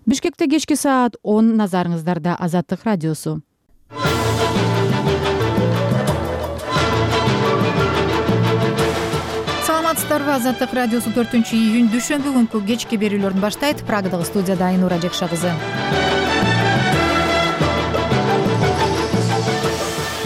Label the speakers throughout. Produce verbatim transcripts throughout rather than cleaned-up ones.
Speaker 1: Бишкекте кечки саат он, назарыңыздарда Азаттык радиосу. Саламатсыздарбы? Азаттык радиосу төртүнчү июнь дүйшөмбү күнкү кечки берүүлөрүн баштайт. Прагадагы студияда Айнура Жекша кызы.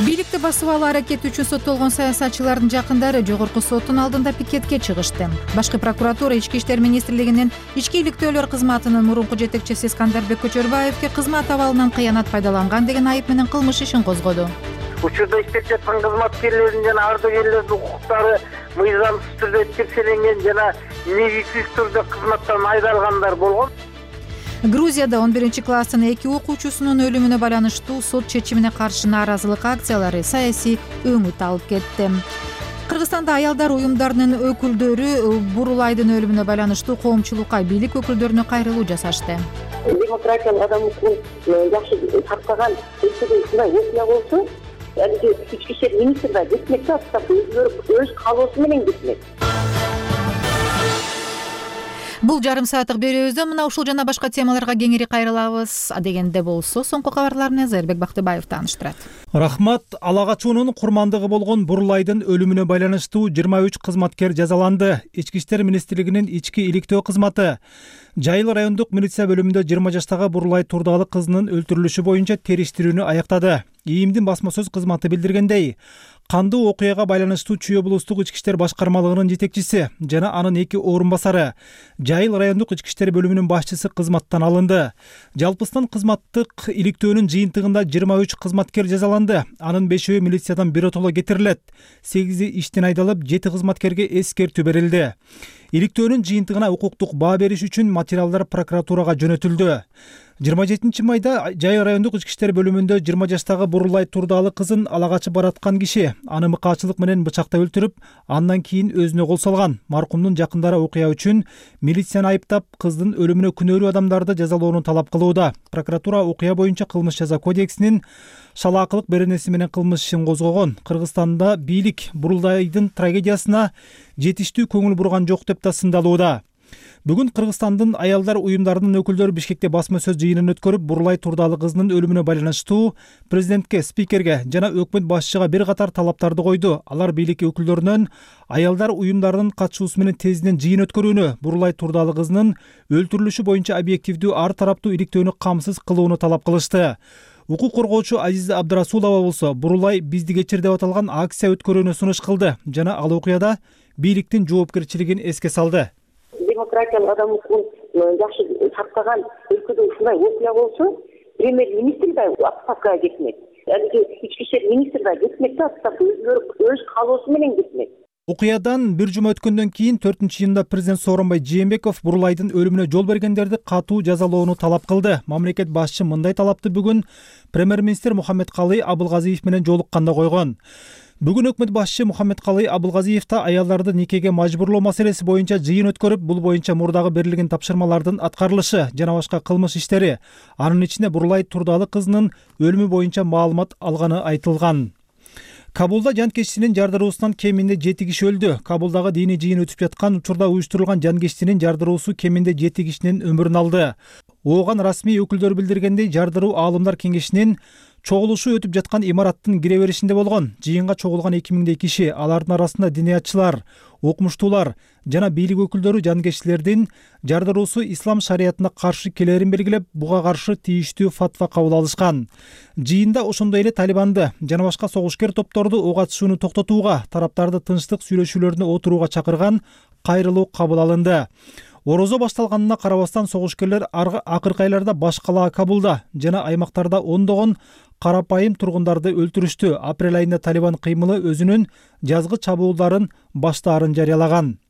Speaker 1: Бийликти басып алуу аракети үчүн соттолгон саясатчылардын жакындары жогорку соттун алдында пикетке чыгышты. Башкы прокуратура Ички иштер министрлигинин ички иликтөөлөр кызматынын мурунку жетекчиси Скандарбек Көчөрбаевге кызмат абалынан кыянат пайдаланган деген айып менен кылмыш ишин козгоду.
Speaker 2: Учурда иштеп жаткан кызматкерлердин жана ардагерлердин укуктары мыйзамсыз түрдө текшерилген жана негизсиз түрдө кызматтан айдалгандар болгон.
Speaker 1: Грузияда он биринчи класстын эки окуучусунун өлүмүнө байланыштуу сот чечимине каршы нааразылык акциялары саясий өңүт алып кетти. Кыргызстанда аялдар уюмдарынын өкүлдөрү Бурулайдын өлүмүнө байланыштуу коомчулукка бийлик өкүлдөрүнө кайрылуу жасашты.
Speaker 3: Демократиялык адам укугун жакшы сактаган өлкөдө ушундай окуя болсо, алиги ички иштер министри да кетмек да, өз каалоосу менен кетмек.
Speaker 1: Бул жарым сааттык берүүбүздө мына ушул жана башка темаларга кеңири кайрылабыз. Адегенде болсо, соңку кабарлар менен Зайырбек Бактыбаев тааныштырат.
Speaker 4: Рахмат. Ала качуунун курмандыгы болгон Бурулайдын өлүмүнө байланыштуу жыйырма үч кызматкер жазаланды. Ички иштер министрлигинин ички иликтөө кызматы Жайыл райондук милиция бөлүмүндө жыйырма жаштагы Бурулай Турдалы кызынын өлтүрүлүшү боюнча териштирүүнү аяктады. ИИМдин басма сөз кызматы билдиргендей, кандуу окуяга байланыштуу Чүй облустук ички иштер башкармалыгынын жетекчиси жана анын эки орун басары Жайыл райондук ички иштер бөлүмүнүн башчысы кызматтан алынды. Жалпысынан кызматтык иликтөөнүн жыйынтыгында жыйырма үч кызматкер жазаланды. Анын бешөө милициядан биротоло кетирилет. сегизи иштен айдалып, жети кызматкерге эскертүү берилди. Иликтөөнүн жыйынтыгына укуктук баа бериш үчүн материалдар прокуратурага жөнөтүлдү. жыйырма жетинчи майда Жайыл райондук ички иштер бөлүмүндө жыйырма жаштагы Бурулай Турдалы кызын ала качып бараткан киши аны мыкаачылык менен бычактап өлтүрүп, андан кийин өзүнө кол салган. Маркумдун жакындары окуя үчүн милицияны айыптап, кыздын өлүмүнө күнөөлүү адамдарды жазалоону талап кылууда. Прокуратура окуя боюнча кылмыш жаза кодексинин шалаакылык беренеси менен кылмыш ишин козгогон. Кыргызстанда бийлик Бурулайдын трагедиясына жетиштүү көңүл бурган жок деп да сындалууда. Бүгүн Кыргызстандын аялдар уюмдарынын өкүлдөрү Бишкекте басма сөз жыйынын өткөрүп, Бурулай Турдалы кызынын өлүмүнө байланыштуу президентке, спикерге жана өкмөт башчыга бир катар талаптарды койду. Алар бийлик өкүлдөрүнөн аялдар уюмдарынын катышуусу менен тезинен жыйын өткөрүүнү, Бурулай Турдалы кызынын өлтүрүлүшү боюнча объективдүү ар тараптуу иликтөөнү камсыз кылууну талап кылышты. Укук коргоочу Азиза Абдрасулова болсо, Бурулай бизди кечир деп аталган акция өткөрүүнү сунуш кылды жана ал окуяда бийликтин жоопкерчилигин эске салды.
Speaker 3: Демократиялык адам укугун жакшы сактаган өлкөдө ушундай окуя болсо, премьер-министр да отставкага кетмек. Алиги ички иштер министри да кетмек да, өз каалоосу менен кетмек.
Speaker 4: Окуядан бир жума өткөндөн кийин төртүнчү июнда президент Сооронбай Жээнбеков Бурулайдын өлүмүнө жол бергендерди катуу жазалоону талап кылды. Мамлекет башчы мындай талапты бүгүн премьер-министр Мухаммедкалый Абылгазиев менен жолукканда койгон. Бүгүн өкмөт башчы Мухаммедкалый Абылгазиев да аялдарды никеге мажбурлоо маселеси боюнча жыйын өткөрүп, бул боюнча мурдагы берилген тапшырмалардын аткарылышы жана башка кылмыш иштери, анын ичинде Бурулай Турдалы кызынын өлүмү боюнча маалымат алганы айтылган. Кабулда жанкечтинин жардыруусунан кеминде жети киши өлдү. Кабулдагы диний жыйын өтүп жаткан учурда уюштурулган жанкечтинин жардыруусу кеминде жети кишинин өмүрүн алды. Ооган расмий өкүлдөр билдиргендей, жардыруу аалымдар кеңешинин чогулушу өтүп жаткан имараттын кире беришинде болгон. Жыйынга чогулган эки миңдей киши, алардын арасында диниятчылар, окумуштуулар жана бийлик өкүлдөрү жанкечтилердин жардыруусу ислам шариятына каршы келерин белгилеп, буга каршы тийиштүү фатва кабыл алышкан. Жыйында ошондой эле Талибанды жана башка согушкер топторду ок атышууну токтотууга, тараптарды тынчтык сүйлөшүүлөрүнө отурууга чакырган кайрылуу кабыл алынды. Орозо башталганына карабастан согушкерлер акыркы айларда баш калаа Кабулда жана аймактарда ондогон карапайым тургундарды өлтүрүштү. Апрель айында Талибан кыймылы өзүнүн жазгы чабуулдарын баштаарын жарыялаган.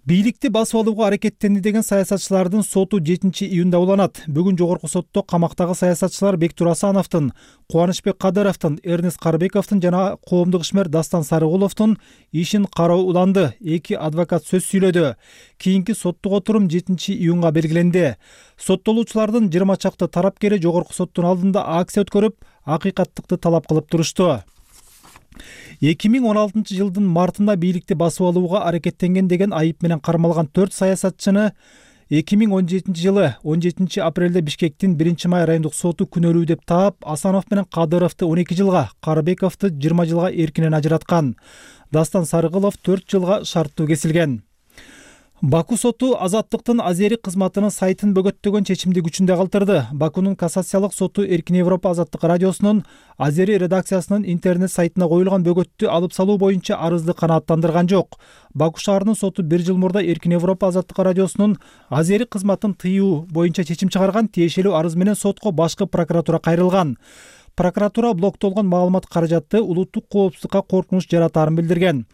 Speaker 4: Бийликти басып алууга аракеттенди деген саясатчылардын соту жетинчи июнда уланат. Бүгүн жогорку сотто камактагы саясатчылар Бектур Асановдун, Кубанычбек Кадыровдун, Эрнест Карбековдун жана коомдук ишмер Дастан Сарыгуловдун ишин кароо уланды. Эки адвокат сөз сүйлөдү. Кийинки соттук отурум жетинчи июнга белгиленди. Соттолуучулардын жыйырма чакты тарапкери жогорку соттун алдында акция өткөрүп, акыйкаттыкты талап кылып турушту. эки миң он алтынчы жылдын мартында бийликти басып алууга аракеттенген деген айып менен кармалган төрт саясатчыны эки миң он жетинчи жылы он жетинчи апрелде Бишкектин биринчи май райондук соту күнөөлүү деп таап Асанов менен Кадыровду он эки жылга, Карыбековду жыйырма жылга эркинен ажыраткан. Дастан Сарыгулов төрт жылга шарттуу кесилген. Баку соту Азаттыктын Азери кызматынын сайтын бөгөттөгөн чечимди күчүндө калтырды. Бакунун кассациялык соту Эркин Европа Азаттык радиосунун Азери редакциясынын интернет сайтына коюлган бөгөттү алып салуу боюнча арызды канааттандырган жок. Баку шаарынын соту бир жыл мурда Эркин Европа Азаттык радиосунун Азери кызматын тыюу боюнча чечим чыгарган. Тиешелүү арыз менен сотко башкы прокуратура кайрылган. Прокуратура блоктолгон маалымат каражаты улуттук коопсуздукка коркунуч жаратаарын билдирген.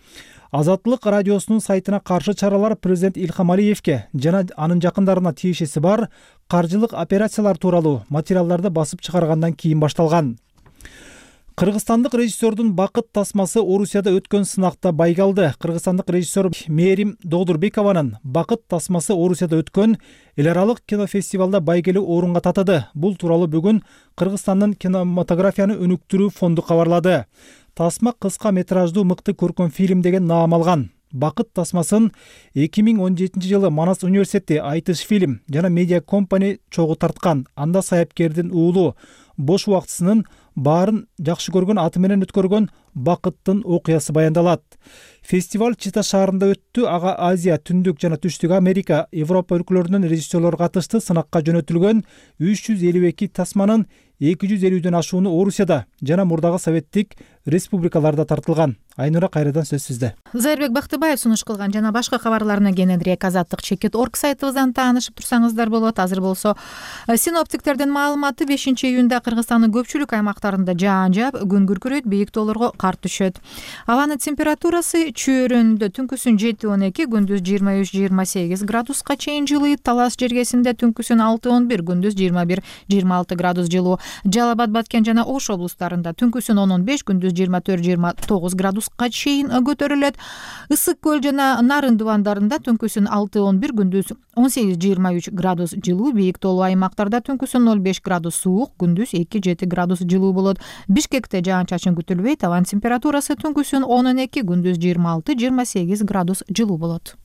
Speaker 4: Азаттык радиосунун сайтына каршы чаралар президент Илхам Алиевке жана анын жакындарына тиешеси бар каржылык операциялар тууралуу материалдарды басып чыгаргандан кийин башталган. Кыргызстандык режиссердун бакыт тасмасы Орусияда өткөн сынакта байга алды. Кыргызстандык режиссер Мерим Догдурбекованын бакыт тасмасы Орусияда өткөн эл аралык кинофестивалда байгелүү орунга татыды. Бул тууралуу бүгүн Кыргызстандын кинематографияны өнүктүрүү фонду кабарлады. Тасма кыска метраждуу мыкты көркөм фильм деген наам алган. Бакыт тасмасын эки миң он жетинчи жылы Манас университети Айтыш фильм жана медиа компани чогуу тарткан. Анда саяпкердин уулу бош убактысынын баарын жакшы көргөн аты менен өткөргөн бакыттын окуясы баяндалат. Фестиваль Чита шаарында өттү. Ага Азия, Түндүк жана Түштүк Америка, Европа өлкөлөрүнүн режиссерлору катышты. Сынакка жөнөтүлгөн үч жүз элүү эки тасманын эки жүз элүүдөн ашууну Орусияда жана мурдагы советтик республикаларда тартылган. Айнура, кайрадан сөз сизде.
Speaker 1: Зайырбек Бактыбаев сунуш кылган жана башка кабарларына кененирээк азаттык чекит точка орг сайтыбыздан таанышып турсаңыздар болот. Азыр болсо синоптиктердин маалыматы бешинчи июнда Кыргызстандын көпчүлүк аймактарында жаан жаап, күн күркүрөйт, бийик тоолорго кар түшөт. Абанын температурасы чөйрөндө түнкүсүн жети он эки, күндүз жыйырма үч жыйырма сегиз градуска чейин жылыйт. Талас жергесинде түнкүсүн алты он бир, күндүз жыйырма бир жыйырма алты градус жылуу. Жалал Абад, Баткен жана Ош облустарында түнкүсүн он он беш, күндүз жыйырма төрт жыйырма тогуз градуска чейин көтөрүлөт. Ысык көл жана Нарын дубандарында түнкүсүн алты он бир, күндүз он сегиз жыйырма үч градус жылуу. Бийик тоолуу аймактарда түнкүсүн ноль беш градус суук, күндүз эки жети градус жылуу болот. Бишкекте жаан-чачын күтүлбөйт. Абан температурасы түнкүсүн он он эки, күндүз жыйырма алты жыйырма сегиз градус жылуу болот.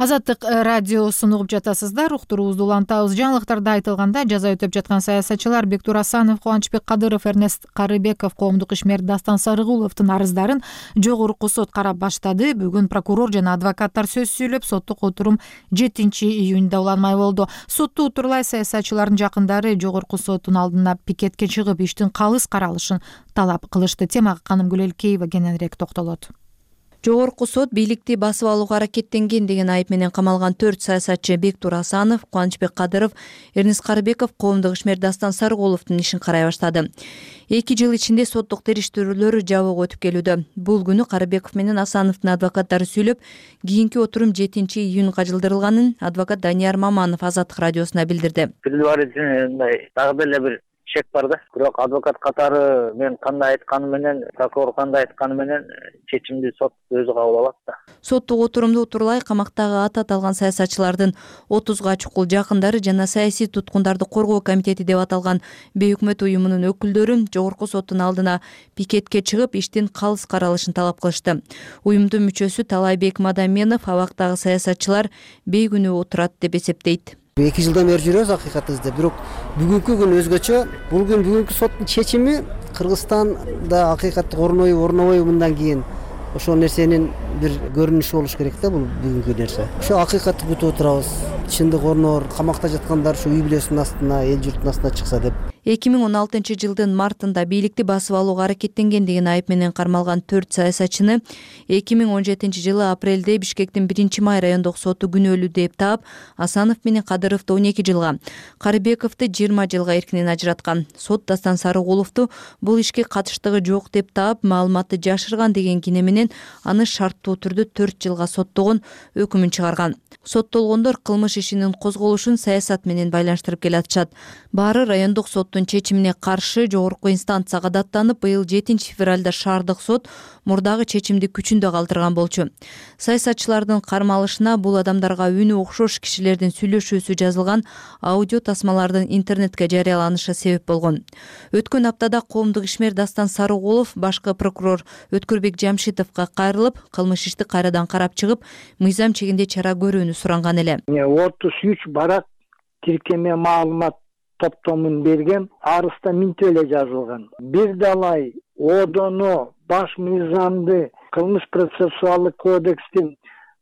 Speaker 1: Азаттык радиосун угуп жатасыздар. Уктуруубузду улантабыз. Жаңылыктарда айтылганда, жаза өтөп жаткан саясатчылар Бектур Асанов, Кубанычбек Кадыров, Эрнест Карыбеков, коомдук ишмер Дастан Сарыгуловдун арыздарын жогорку сот карап баштады. Бүгүн прокурор жана адвокаттар сөз сүйлөп, соттук отурум жетинчи июнда уланмай болду. Сотту утурлай саясатчылардын жакындары жогорку соттун алдына пикетке чыгып, иштин калыс каралышын талап кылышты. Темага Канымгүл Элкеева кененирээк токтолот.
Speaker 5: Жогорку сот бийликти басып алууга аракеттенген деген айып менен камалган төрт саясатчы Бектур Асанов, Кубанычбек Кадыров, Эрнест Карыбеков, коомдук ишмер Дастан Сарыгуловдун ишин карай баштады. Эки жыл ичинде соттук териштирүүлөр жабык өтүп келүүдө. Бул күнү Карыбеков менен Асановдун адвокаттары сүйлөп, кийинки отурум жетинчи июнга жылдырылганын адвокат Данияр Маманов Азаттык радиосуна билдирди.
Speaker 2: Мындай дагы деле бир чек бар да. Бирок адвокат катары мен кандай айтканы менен, прокурор кандай айтканы менен чечимди сот өзү кабыл алат да.
Speaker 5: Соттук отурумду утурлай камактагы аты аталган саясатчылардын отузга чукул жакындары жана саясий туткундарды коргоо комитети деп аталган бейөкмөт уюмунун өкүлдөрү жогорку соттун алдына пикетке чыгып, иштин калыс каралышын талап кылышты. Уюмдун мүчөсү Талайбек Мадаменов абактагы саясатчылар бейкүнөө отурат деп эсептейт.
Speaker 6: эки жылдан бери жүрөбүз акыйкаты изде. Бирок бүгүнкү күн өзгөчө. Бул күн бүгүнкү соттун чечими Кыргызстанда акыйкатты орнойбу, орнобойбу мындан кийин ошол нерсенин бир көрүнүшү болуш керек да. Бул бүгүнкү нерсе. Ошо акыйкатты күтүп отурабыз. Чындык орноор, камакта жаткандар ушу үй бүлөсүнүн астына, эл журттун астына чыкса деп.
Speaker 5: эки миң он алтынчы жылдын мартында бийликти басып алууга аракеттенген деген айып менен кармалган төрт саясатчыны эки миң он жетинчи жылы апрелде Бишкектин биринчи май райондук соту күнөөлүү деп таап, Асанов менен Кадыровду он эки жылга, Карыбековду жыйырма жылга эркинен ажыраткан. Сот Дастан Сарыгуловду бул ишке катыштыгы жок деп таап, маалыматты жашырган деген кине менен аны шарттуу түрдө төрт жылга соттогон өкүмүн чыгарган. Соттолгондор кылмыш ишинин козголушун саясат менен байланыштырып келатышат. Баары райондук сот соттун чечимине каршы жогорку инстанцияга даттанып, быйыл жетинчи февралда шаардык сот мурдагы чечимди күчүндө калтырган болчу. Саясатчылардын кармалышына бул адамдарга үнү окшош кишилердин сүйлөшүүсү жазылган аудио тасмалардын интернетке жарыяланышы себеп болгон. Өткөн аптада коомдук ишмер Дастан Сарыгулов башкы прокурор Өткөрбек Жамшитовго кайрылып, кылмыш ишти кайрадан карап чыгып, мыйзам чегинде чара көрүүнү суранган эле.
Speaker 7: отуз үч барак тиркеме маалымат топтомун берген, арызда минтип эле жазылган. Бир далай одону баш мыйзамды, кылмыш процессуалдык кодекстин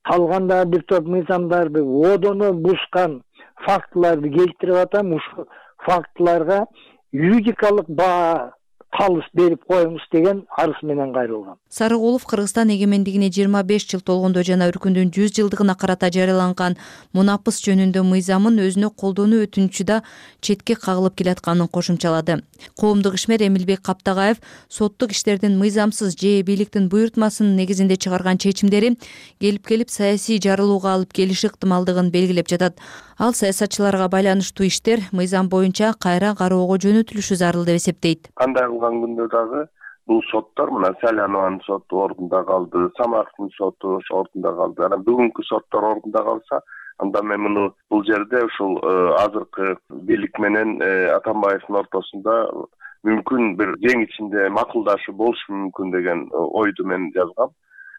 Speaker 7: калган бир топ мыйзамдарды одону бузган фактыларды келтирип атам. Ушул фактыларга юридикалык баа калыс берип коюңуз деген арыз менен кайрылган.
Speaker 5: Сарыгулов Кыргызстан эгемендигине жыйырма беш жыл толгондо жана Үркүндүн жүз жылдыгына карата жарыяланган мунапыс жөнүндө мыйзамын өзүнө колдонуу өтүнүчү четке кагылып келатканын кошумчалады. Коомдук ишмер Эмилбек Каптагаев соттук иштердин мыйзамсыз же бийликтин буйртмасынын негизинде чыгарган чечимдери келип-келип саясий жарылууга алып келиши ыктымалдыгын белгилеп жатат. Ал саясатчыларга байланыштуу иштер мыйзам боюнча кайра кароого жөнөтүлүшү зарыл деп эсептейт.
Speaker 8: Кандай кылган күндө дагы бул соттор мына Салянованын соту ордунда калды, Самаровдун соту ордунда калды. Анан бүгүнкү соттор ордунда калса, анда мен муну бул жерде ушул азыркы бийлик менен Атамбаевдин ортосунда мүмкүн бир жең ичинде макулдашуу болушу мүмкүн деген ойду мен жазгам.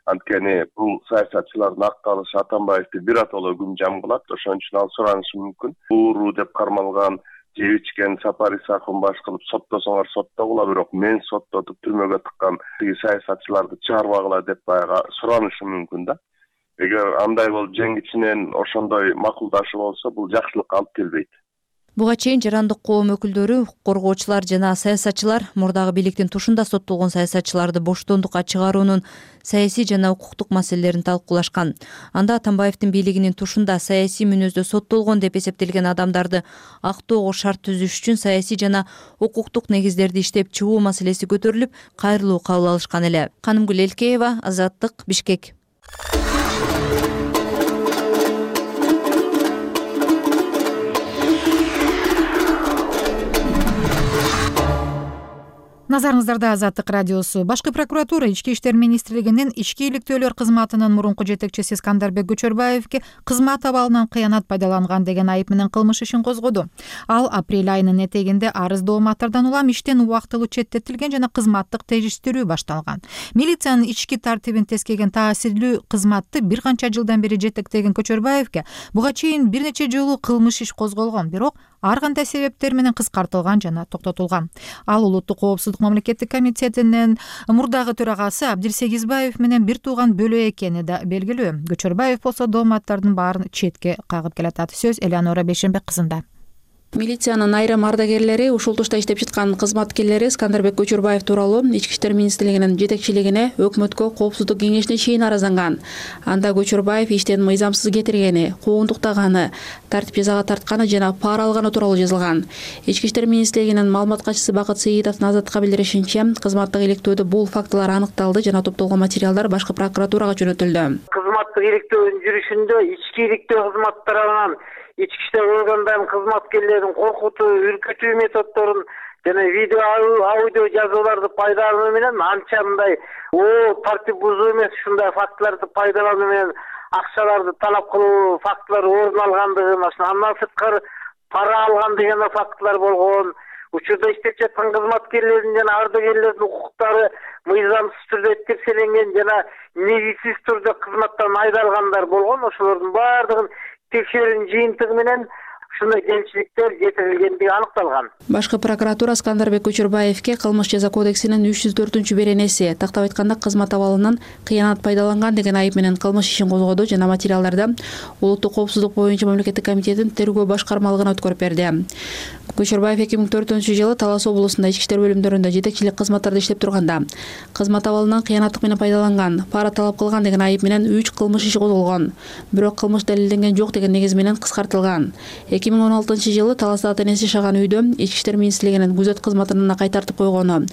Speaker 8: Анткени бул саясатчылардын акталышы Атамбаевди биротоло күн жам кылат, ошон үчүн ал суранышы мүмкүн. Ууру деп кармалган, жеп ичкен Сапар Исаков баш кылып соттосоңор соттогула, бирок мен соттотуп түрмөгө тыккан тиги саясатчыларды чыгарбагыла деп баягы суранышы мүмкүн да. Эгер андай болуп жең ичинен ошондой макулдашуу болсо, бул жакшылыкка алып келбейт.
Speaker 5: Буга чейин жарандык коом өкүлдөрү, коргоочулар жана саясатчылар мурдагы бийликтин тушунда соттолгон саясатчыларды боштондукка чыгаруунун саясий жана укуктук маселелерин талкуулашкан. Анда Атамбаевдин бийлигинин тушунда саясий мүнөздө соттолгон деп эсептелген адамдарды актоого шарт түзүш үчүн саясий жана укуктук негиздерди иштеп чыгуу маселеси көтөрүлүп, кайрылуу кабыл алышкан эле. Канымгүл Элкеева, Азаттык, Бишкек.
Speaker 1: Назарыңыздарда Азаттык радиосу. Башкы прокуратура Ички иштер министрлигинин ички иликтөөлөр кызматынын мурунку жетекчиси Скандарбек Көчөрбаевге кызмат абалынан кыянат пайдаланган деген айып менен кылмыш ишин козгоду. Ал апрель айынын этегинде арыз дооматтардан улам иштен убактылуу четтетилген жана кызматтык териштирүү башталган. Милициянын ички тартибин тескеген таасирлүү кызматты бир канча жылдан бери жетектеген Көчөрбаевге буга чейин бир нече жолу кылмыш иш козголгон, бирок ар кандай себептер менен кыскартылган жана токтотулган. Ал улуттук коопсуздук мамлекеттик комитетинин мурдагы төрагасы Абдирсегизбаев менен бир тууган бөлө экени да белгилүү. Көчөрбаев болсо дооматтардын баарын четке кагып келатат. Сөз Элеонора Бейшенбек кызында.
Speaker 9: Милициянын айрым ардагерлери, ушул тушта иштеп жаткан кызматкерлери Скандарбек Көчөрбаев тууралуу Ички иштер министрлигинин жетекчилигине, өкмөткө, коопсуздук кеңешине чейин арызданган. Анда Көчөрбаев иштен мыйзамсыз кетиргени, куугунтуктаганы, тартип жазага тартканы жана пара алганы тууралуу жазылган. Ички иштер министрлигинин маалымат катчысы Бакыт Сейитовдун Азаттыкка билдиришинче, кызматтык иликтөөдө бул фактылар аныкталды жана топтолгон материалдар башкы прокуратурага жөнөтүлдү.
Speaker 2: Кызматтык иликтөөнүн жүрүшүндө ички иликтөө кызматтарынан ички иштер органдарынын кызматкерлерин коркутуу, үркүтүү методдорун жана видео аудио жазууларды пайдалануу менен анча мындай о тартип бузуу эмес, ушундай фактыларды пайдалануу менен акчаларды талап кылуу фактылары орун алгандыгын, андан сырткары пара алган деген фактылар болгон. Учурда иштеп жаткан кызматкерлердин жана ардагерлердин укуктары мыйзамсыз түрдө текшерилген жана негизсиз түрдө кызматтан айдалгандар болгон. Ошолордун баардыгын текшерүүнүн жыйынтыгы менен ушундай кемчиликтер жетирилгендиги аныкталган.
Speaker 9: Башкы прокуратура Скандарбек Көчөрбаевге кылмыш жаза кодексинин үч жүз төртүнчү беренеси, тактап айтканда кызмат абалынан кыянат пайдаланган деген айып менен кылмыш ишин козгоду жана материалдарда улуттук коопсуздук боюнча мамлекеттик комитеттин тергөө башкармалыгына өткөрүп берди. Көчөрбаев эки миң төртүнчү жылы Талас облусунда ички иштер бөлүмдөрүндө жетекчилик кызматтарда иштеп турганда кызмат абалынан кыянаттык менен пайдаланган, пара талап кылган деген айып менен үч кылмыш иши козголгон. Бирок кылмыш далилденген жок деген негиз менен кыскартылган. эки миң он алтынчы жылы Таласта ата-энеси жашаган үйдө ички иштер министрлигинин күзөт кызматына кайтартып койгону,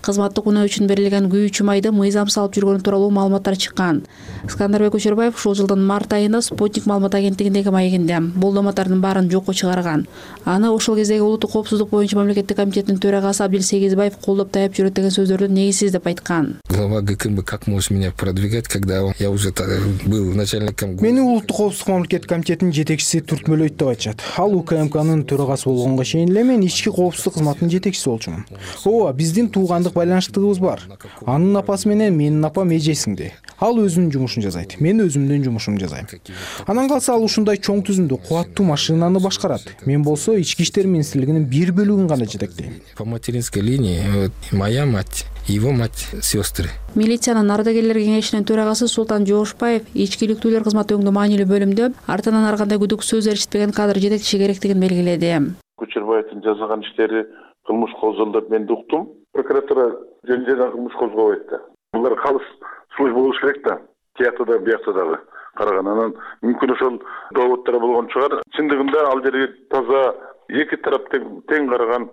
Speaker 9: кызматтык унөө үчүн берилген күйүүчү майды мыйзамсыз алып жүргөнү тууралуу маалыматтар чыккан. Скандарбек Көчөрбаев ушул жылдын март айында Спутник маалымат агенттигиндеги маегинде бул дооматтардын баарын жокко чыгарган. Аны ошол кездеги улуттук коопсуздук боюнча мамлекеттик комитеттин төрагасы Абдил Сегизбаев колдоп таяп жүрөт деген сөздөрдү негизсиз деп айткан.
Speaker 10: Глава ГКМ как может меня продвигать, когда я уже был начальником.
Speaker 4: Мени улуттук коопсуздук мамлекеттик комитетинин жетекчиси түртмөлөйт деп айтышат. Ал УКМКнын төрагасы болгонго чейин эле мен ички коопсуздук кызматынын жетекчиси болчумун. Ооба, биздин туугандык байланыштыгыбыз бар. Анын апасы менен менин апам эже сиңди. Ал өзүнүн жумушун жасайт, мен өзүмдүн жумушумду жасайм. Анан калса ал ушундай чоң түзүмдүү кубаттуу машинаны башкарат. Мен болсо ички иштер министрлигинин бир бөлүгүн гана жетектейм.
Speaker 10: По материнской линии моя мать, его мать, сестры.
Speaker 9: Милициянын ардагерлер кеңешинин төрагасы Султан Жоошбаев ички иликтүүлөр кызматы өңдүү маанилүү бөлүмдө артынан ар кандай күдүк сөз эриштпеген кадр жетекчи керектигин белгиледи.
Speaker 11: Кучурбаевдин жасаган иштери кылмыш козголду деп мен уктум. Прокуратура жөн-жөнөкөй кылмыш козгобойт да. Булар калыс служба болуш керек да. Тиякта да, биякта дагы караган. Анан мүмкүн ошол доводдор болгон чыгар. Чындыгында ал жерге таза эки тарап тең караган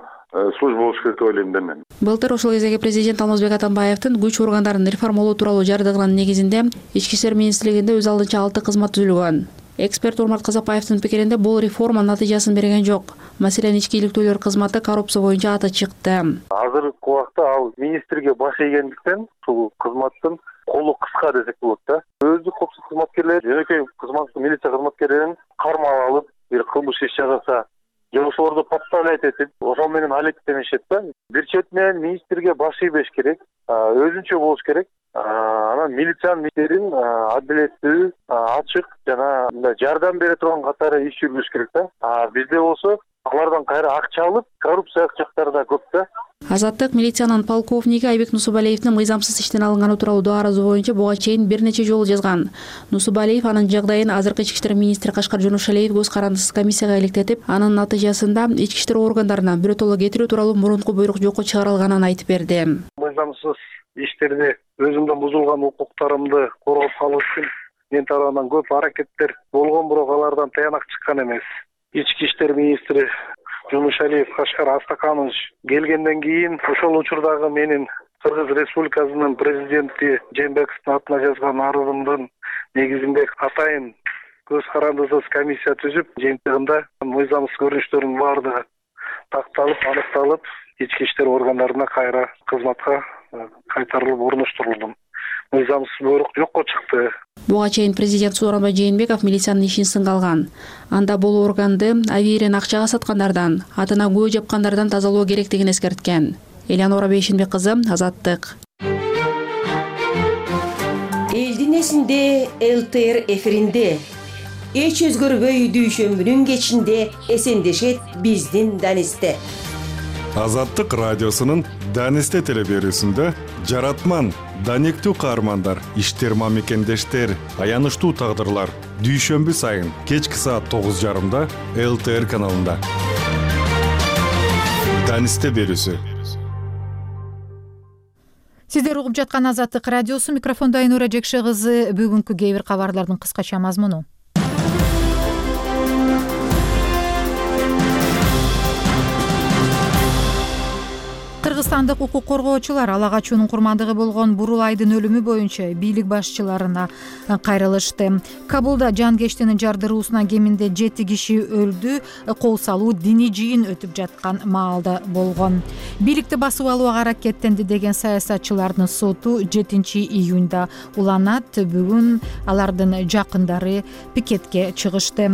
Speaker 11: служба болуш керек деп ойлойм да мен.
Speaker 9: Былтыр ошол кездеги президент Алмазбек Атамбаевдин күч органдарын реформалоо тууралуу жардыгынын негизинде ички иштер министрлигинде өз алдынча алты кызмат түзүлгөн. Эксперт Урмат Казакбаевдин пикиринде бул реформа натыйжасын берген жок. Маселен, ички иликтүүлөр кызматы коррупция боюнча аты чыкты.
Speaker 11: Азыркы убакта ал министрге баш ийгендиктен ушул кызматтын колу кыска десек болот да. Өздүк коопсуздук кызматкерлери, жөнөкөй кызмат милиция кызматкерлерин кармап алып, бир кылмыш иш жасаса, же ошолорду подставлять этип, ошол менен алектенишет да. Бир четинен министрге баш ийбеш керек, өзүнчө болуш керек. Анан милициянын иштерин адилеттүү, ачык жана мындай жардам бере турган катары иш жүргүзүш керек да. Бизде болсо алардан кайра акча алып, коррупция жактары да көп да.
Speaker 9: Азаттык милициянын полковниги Айбек Нусубалиевдин мыйзамсыз иштен алынганы тууралуу дарызы боюнча буга чейин бир нече жолу жазган. Нусубалиев анын жагдайын азыркы ички иштер министри Кашкар Жонушалиев көз карандысыз комиссияга иликтетип, анын натыйжасында ички иштер органдарына биротоло кетирүү тууралуу мурунку буйрук жокко чыгарылганын айтып берди.
Speaker 11: Мыйзамсыз иштерде өзүмдүн бузулган укуктарымды коргоп калуу үчүн мен тарабынан көп аракеттер болгон, бирок алардан таянак чыккан эмес. Ички иштер министри Жонушалиев Кашкар Астаканович келгенден кийин ошол учурдагы менин Кыргыз Республикасынын президенти Жээнбековдун атына жазган арызымдын негизинде атайын көз карандысыз комиссия түзүп, жыйынтыгында мыйзамсыз көрүнүштөрдүн баардыгы такталып, аныкталып, ички иштер органдарына кайра кызматка кайтарылып орноштурулду. Мыйзамсыз буйрук жокко чыкты.
Speaker 9: Буга чейин президент Сооронбай Жээнбеков милициянын ишин сынга алган. Анда бул органды авиирен акчага саткандардан, атына күбө жапкандардан тазалоо керектигин эскерткен. Элянора Бейшинбек кызы, Азаттык.
Speaker 12: Элдин эсинде ЛТР эфиринде эч өзгөрбөй дүйшөмбүнүн кечинде эсендешет биздин Данисте.
Speaker 13: Азаттык радиосунун Данисте телеберүүсүндө жаратман, данектүү каармандар, иштерма мекендештер, аянычтуу тагдырлар дүйшөмбү сайын кечки саат тогуз жарымда ЛТР каналында. Данисте берүүсү.
Speaker 1: Сиздер угуп жаткан Азаттык радиосу, микрофондо Айнура Жекше кызы. Бүгүнкү кээ бир кабарлардын кыскача мазмуну. Кыргызстандык укук коргоочулар ала качуунун курмандыгы болгон Бурулайдын өлүмү боюнча бийлик башчыларына кайрылышты. Кабулда жанкештинин жардыруусунан кеминде жети киши өлдү. Кол салуу диний жыйын өтүп жаткан маалда болгон. Бийликти басып алууга аракеттенди деген саясатчылардын соту жетинчи июнда уланат. Бүгүн алардын жакындары пикетке чыгышты.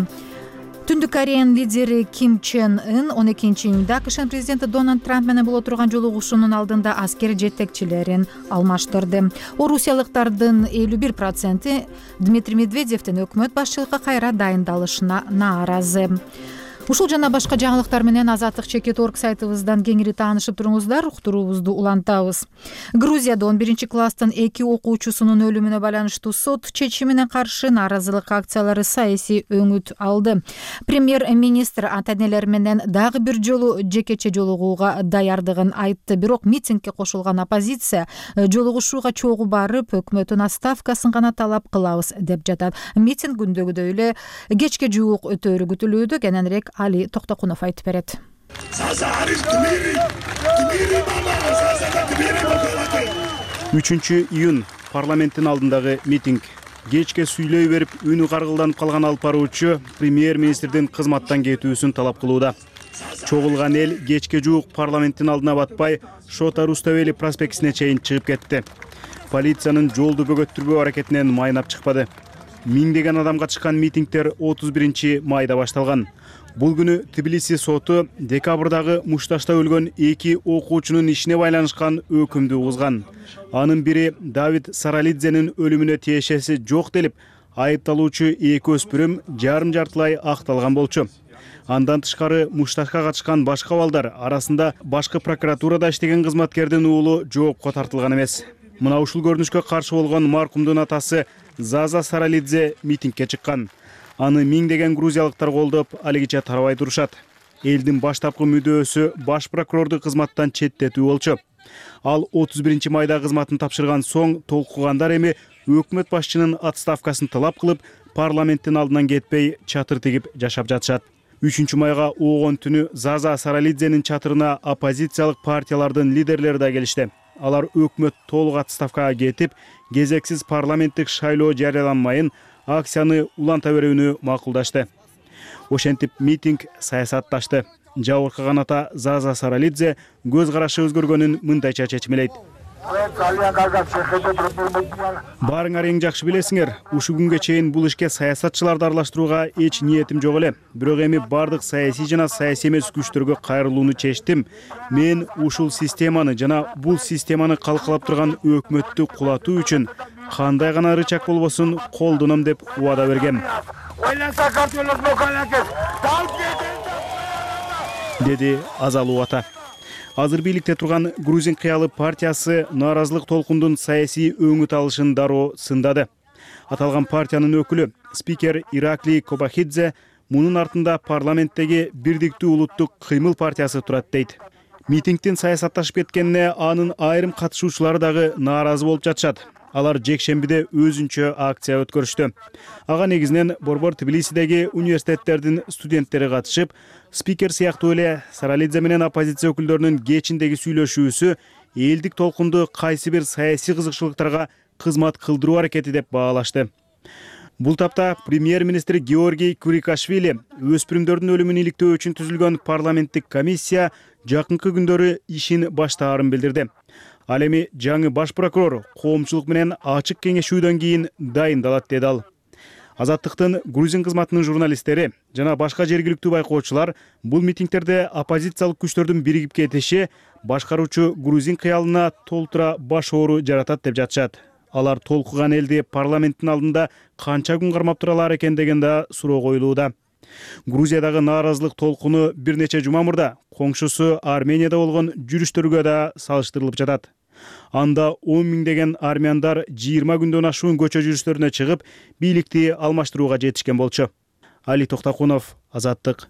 Speaker 1: Түндүк Кореянын лидери Ким Чен Ын он экинчи июнда АКШнын президенти Дональд Трамп менен боло турган жолугушуунун алдында аскер жетекчилерин алмаштырды. Орусиялыктардын элүү бир проценти Дмитрий Медведевдин өкмөт башчылыкка кайра дайындалышына нааразы. Ушул жана башка жаңылыктар менен Азаттык чекит точка орг сайтыбыздан кеңири таанышып туруңуздар. Уктуруубузду улантабыз. Грузияда он биринчи класстын эки окуучусунун өлүмүнө байланыштуу сот чечимине каршы нааразылык акциялары саясий өңүт алды. Премьер-министр ата-энелер менен дагы бир жолу жекече жолугууга даярдыгын айтты. Бирок митингге кошулган оппозиция жолугушууга чогуу барып, өкмөттүн отставкасын гана талап кылабыз деп жатат. Митинг күндөгүдөй эле кечке жуук өтөөрү күтүлүүдө. Кененирээк Али Токтокунов айтып берет.
Speaker 14: үчүнчү июнь парламенттин алдындагы митинг. Кечке сүйлөй берип, үнү каргылданып калган алып баруучу премьер-министрдин кызматтан кетүүсүн талап кылууда. Чогулган эл кечке жуук парламенттин алдына батпай, Шота Руставели проспектисине чейин чыгып кетти. Полициянын жолду бөгөттүрбөө аракетинен майнап чыкпады. Миңдеген адам катышкан митингдер отуз биринчи майда башталган. Бул күнү Тбилиси соту декабрдагы мушташта өлгөн эки окуучунун ишине байланышкан өкүмдү угузган. Анын бири Давид Саралидзенин өлүмүнө тиешеси жок делип, айыпталуучу эки өспүрүм жарым жартылай акталган болчу. Андан тышкары мушташка катышкан башка балдар арасында башкы прокуратурада иштеген кызматкердин уулу жоопко тартылган эмес. Мына ушул көрүнүшкө каршы болгон маркумдун атасы Заза Саралидзе митингке чыккан. Аны миңдеген грузиялыктар колдоп, алигиче тарабай турушат. Элдин баштапкы мүдөөсү баш прокурорду кызматтан четтетүү болчу. Ал отуз биринчи майда кызматын тапшырган соң толкугандар эми өкмөт башчынын отставкасын талап кылып, парламенттин алдынан кетпей чатыр тигип жашап жатышат. үчүнчү майга оогон түнү Заза Саралидзенин чатырына оппозициялык партиялардын лидерлери да келишти. Алар өкмөт толук отставкага кетип, кезексиз парламенттик шайлоо жарыяланмайын, акцияны уланта берүүнү макулдашты. Ошентип митинг саясатташты. Жабыркаган ата Заза Саралидзе көз карашы өзгөргөнүн мындайча чечмелейт. Баарыңар эң жакшы билесиңер, ушул күнгө чейин бул ишке саясатчыларды аралаштырууга эч ниетим жок эле. Бирок эми бардык саясий жана саясий эмес күчтөргө кайрылууну чечтим. Мен ушул системаны жана бул системаны калкалап турган өкмөттү кулатуу үчүн кандай гана рычаг болбосун колдоном деп убада бергем, деди Азалуу ата. Азыр бийликте турган Грузин кыялы партиясы нааразылык толкундун саясий өңүт алышын дароо сындады. Аталган партиянын өкүлү спикер Ираклий Кобахидзе мунун артында парламенттеги Бирдиктүү улуттук кыймыл партиясы турат дейт. Митингдин саясатташып кеткенине анын айрым катышуучулары дагы нааразы болуп жатышат. Алар жекшембиде өзүнчө акция өткөрүштү. Ага негизинен Борбор Тбилисидеги университеттердин студенттери катышып, спикер сыяктуу эле Саралидзе менен оппозиция өкүлдөрүнүн кечиндеги сүйлөшүүсү элдик толкунду кайсы бир саясий кызыкчылыктарга кызмат кылдыруу аракети деп баалашты. Бул тапта премьер-министр Георгий Курикашвили өспүрүмдөрдүн өлүмүн иликтөө үчүн түзүлгөн парламенттик комиссия жакынкы күндөрү ишин баштаарын билдирди. Ал эми жаңы баш прокурор коомчулук менен ачык кеңешүүдөн кийин дайындалат, деди ал. Азаттыктын Грузин кызматынын журналисттери жана башка жергиликтүү байкоочулар бул митингдерде оппозициялык күчтөрдүн биригип кетиши башкаруучу Грузин кыялына толтура баш оору жаратат деп жатышат. Алар толкуган элди парламенттин алдында канча күн кармап тура алар экен деген да суроо коюлууда. Грузиядагы нааразылык толкуну бир нече жума мурда коңшусу Арменияда болгон жүрүштөргө да салыштырылып жатат. Анда он миңдеген армяндар жыйырма күндөн ашуун көчө жүрүштөрүнө чыгып, бийликти алмаштырууга жетишкен болчу. Али Токтакунов, Азаттык.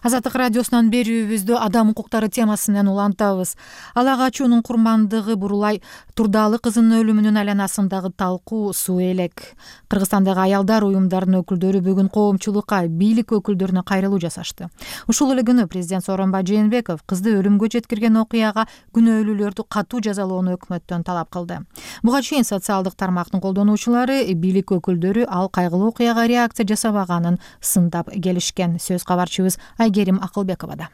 Speaker 1: Азаттык радиосунан берүүбүздү адам укуктары темасы менен улантабыз. Ала качуунун курмандыгы Бурулай Турдалы кызынын өлүмүнүн айланасындагы талкуу суу элек. Кыргызстандагы аялдар уюмдарынын өкүлдөрү бүгүн коомчулукка, бийлик өкүлдөрүнө кайрылуу жасашты. Ушул эле күнү президент Сооронбай Жээнбеков кызды өлүмгө жеткирген окуяга күнөөлүүлөрдү катуу жазалоону өкмөттөн талап кылды. Буга чейин социалдык тармактын колдонуучулары, бийлик өкүлдөрү ал кайгылуу окуяга реакция жасабаганын сындап келишкен. Сөз кабарчыбыз Айгерим Акылбековада.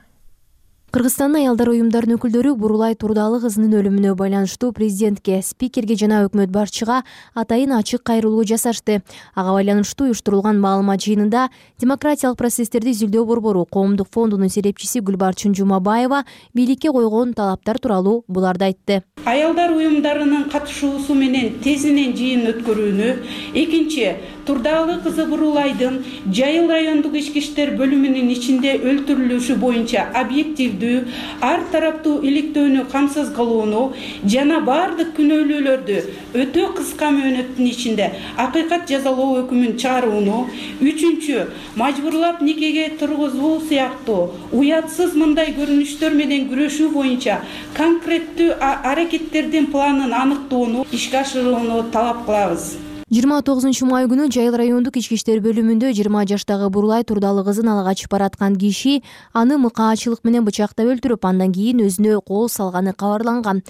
Speaker 15: Кыргызстандын аялдар уюмдарынын өкүлдөрү Бурулай Турдалы кызынын өлүмүнө байланыштуу президентке, спикерге жана өкмөт башчыга атайын ачык кайрылуу жасашты. Ага байланыштуу уюштурулган маалымат жыйынында демократиялык процесстерди изилдөө борбору Коомдук фондунун серепчиси Гүлбарчын Жумабаева бийликке койгон талаптар тууралуу буларды айтты.
Speaker 16: Аялдар уюмдарынын катышуусу менен тезинен жыйын өткөрүүнү, экинчи Турдалы кызы Бурулайдын Жайыл райондук ички иштер бөлүмүнүн ичинде өлтүрүлүшү боюнча объективдүү, ар тараптуу иликтөөнү камсыз кылууну жана бардык күнөөлүүлөрдү өтө кыска мөөнөттүн ичинде акыйкат жазалоо өкүмүн чыгарууну, үчүнчү мажбурлап никеге тургузуу сыяктуу уятсыз мындай көрүнүштөр менен күрөшүү боюнча конкреттүү аракеттердин планын аныктоону ишке ашырууну талап кылабыз.
Speaker 15: жыйырма тогузунчу май күнү Жайыл райондук ички иштер бөлүмүндө жыйырма жаштагы Бурулай Турдалы кызын ала качып бараткан киши аны мыкаачылык менен бычактап өлтүрүп, андан кийин өзүнө кол салганы кабарланган.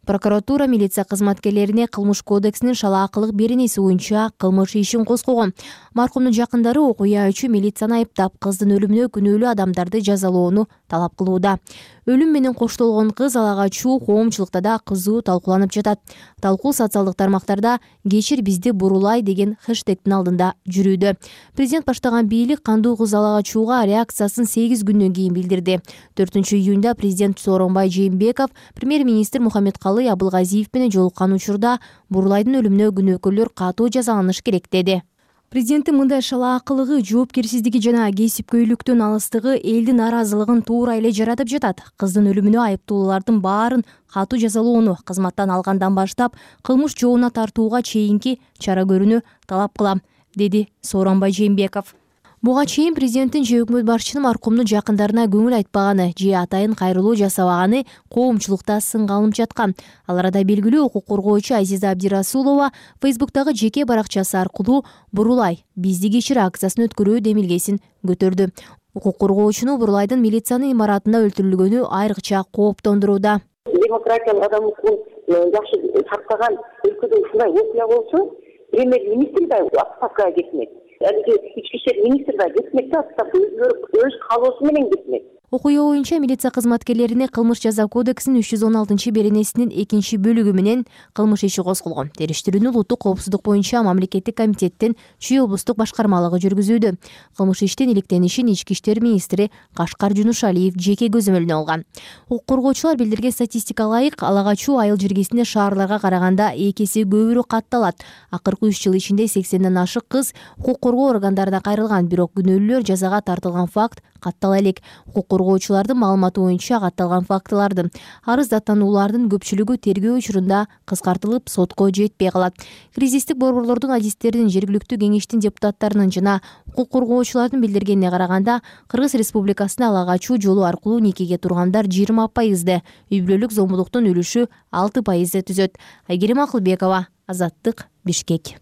Speaker 15: Прокуратура милиция кызматкерлерине кылмыш кодексинин шалаакылык беренеси боюнча кылмыш ишин козгогон. Маркумдун жакындары окуя үчүн милицияны айыптап, кыздын өлүмүнө күнөөлүү адамдарды жазалоону талап кылууда. Өлүм менен коштолгон кыз ала качуу коомчулукта да кызуу талкууланып жатат. Талкуу социалдык тармактарда «Кечир бизди Бурулай» деген хэштегтин алдында жүрүүдө. Президент баштаган бийлик кандуу кыз ала качууга реакциясын сегиз күндөн кийин билдирди. төртүнчү июнда президент Сооронбай Жээнбеков премьер-министр Мухаммедкалый Абылгазиев менен жолуккан учурда Бурулайдын өлүмүнө күнөөкөрлөр катуу жазаланыш керек деди. Президенттин мындай шалаакылыгы, жоопкерсиздиги жана кесипкөйлүктөн алыстыгы элдин нааразылыгын туура эле жаратып жатат. Кыздын өлүмүнө айыптуулардын баарын катуу жазалоону, кызматтан алгандан баштап кылмыш жообуна тартууга чейинки чара көрүүнү талап кылам, деди Сооронбай Жээнбеков. Буга чейин президенттин же өкмөт башчынын маркумдун жакындарына көңүл айтпаганы же атайын кайрылуу жасабаганы коомчулукта сынга алынып жаткан. Ал арада белгилүү укук коргоочу Азиза Абдирасулова Фейсбуктагы жеке баракчасы аркылуу «Бурулай, бизди кечир» акциясын өткөрүү демилгесин көтөрдү. Укук коргоочуну Бурулайдын милициянын имаратында өлтүрүлгөнү айрыкча кооптондурууда.
Speaker 3: Демократиялык адам укугун жакшы сактаган өлкөдө ушундай окуя болсо, премьер-министр да отставкага кетмек. Алиги ички иштер министри да кетмек да, өз каалоосу менен кетмек. Окуя
Speaker 15: боюнча милиция кызматкерлерине кылмыш жаза кодексинин үч жүз он алтынчы беренесинин экинчи бөлүгү менен кылмыш иши козголгон. Териштирүүнү улуттук коопсуздук боюнча мамлекеттик комитеттин Чүй облустук башкармалыгы жүргүзүүдө. Кылмыш иштин иликтенишин ички иштер министри Кашкар Жунушалиев жеке көзөмөлүнө алган. Укук коргоочулар билдирген статистикага ылайык, ала качуу айыл жергесинде шаарларга караганда эки эсе көбүрөөк катталат. Акыркы үч жыл ичинде сексенден ашык кыз укук коргоо органдарына кайрылган, бирок күнөөлүүлөр жазага тартылган факт каттала элек. Укук коргоочулардын маалыматы боюнча катталган фактылардын арыз даттануулардын көпчүлүгү тергөө учурунда кыскартылып сотко жетпей калат. Кризистик борборлордун адистеринин, жергиликтүү кеңештин депутаттарынын жана укук коргоочулардын билдиргенине караганда, Кыргыз Республикасында ала качуу жолу аркылуу никеге тургандар жыйырма пайызды, үй бүлөлүк зомбулуктун үлүшү алты пайызды түзөт. Айгерим Акылбекова, Азаттык, Бишкек.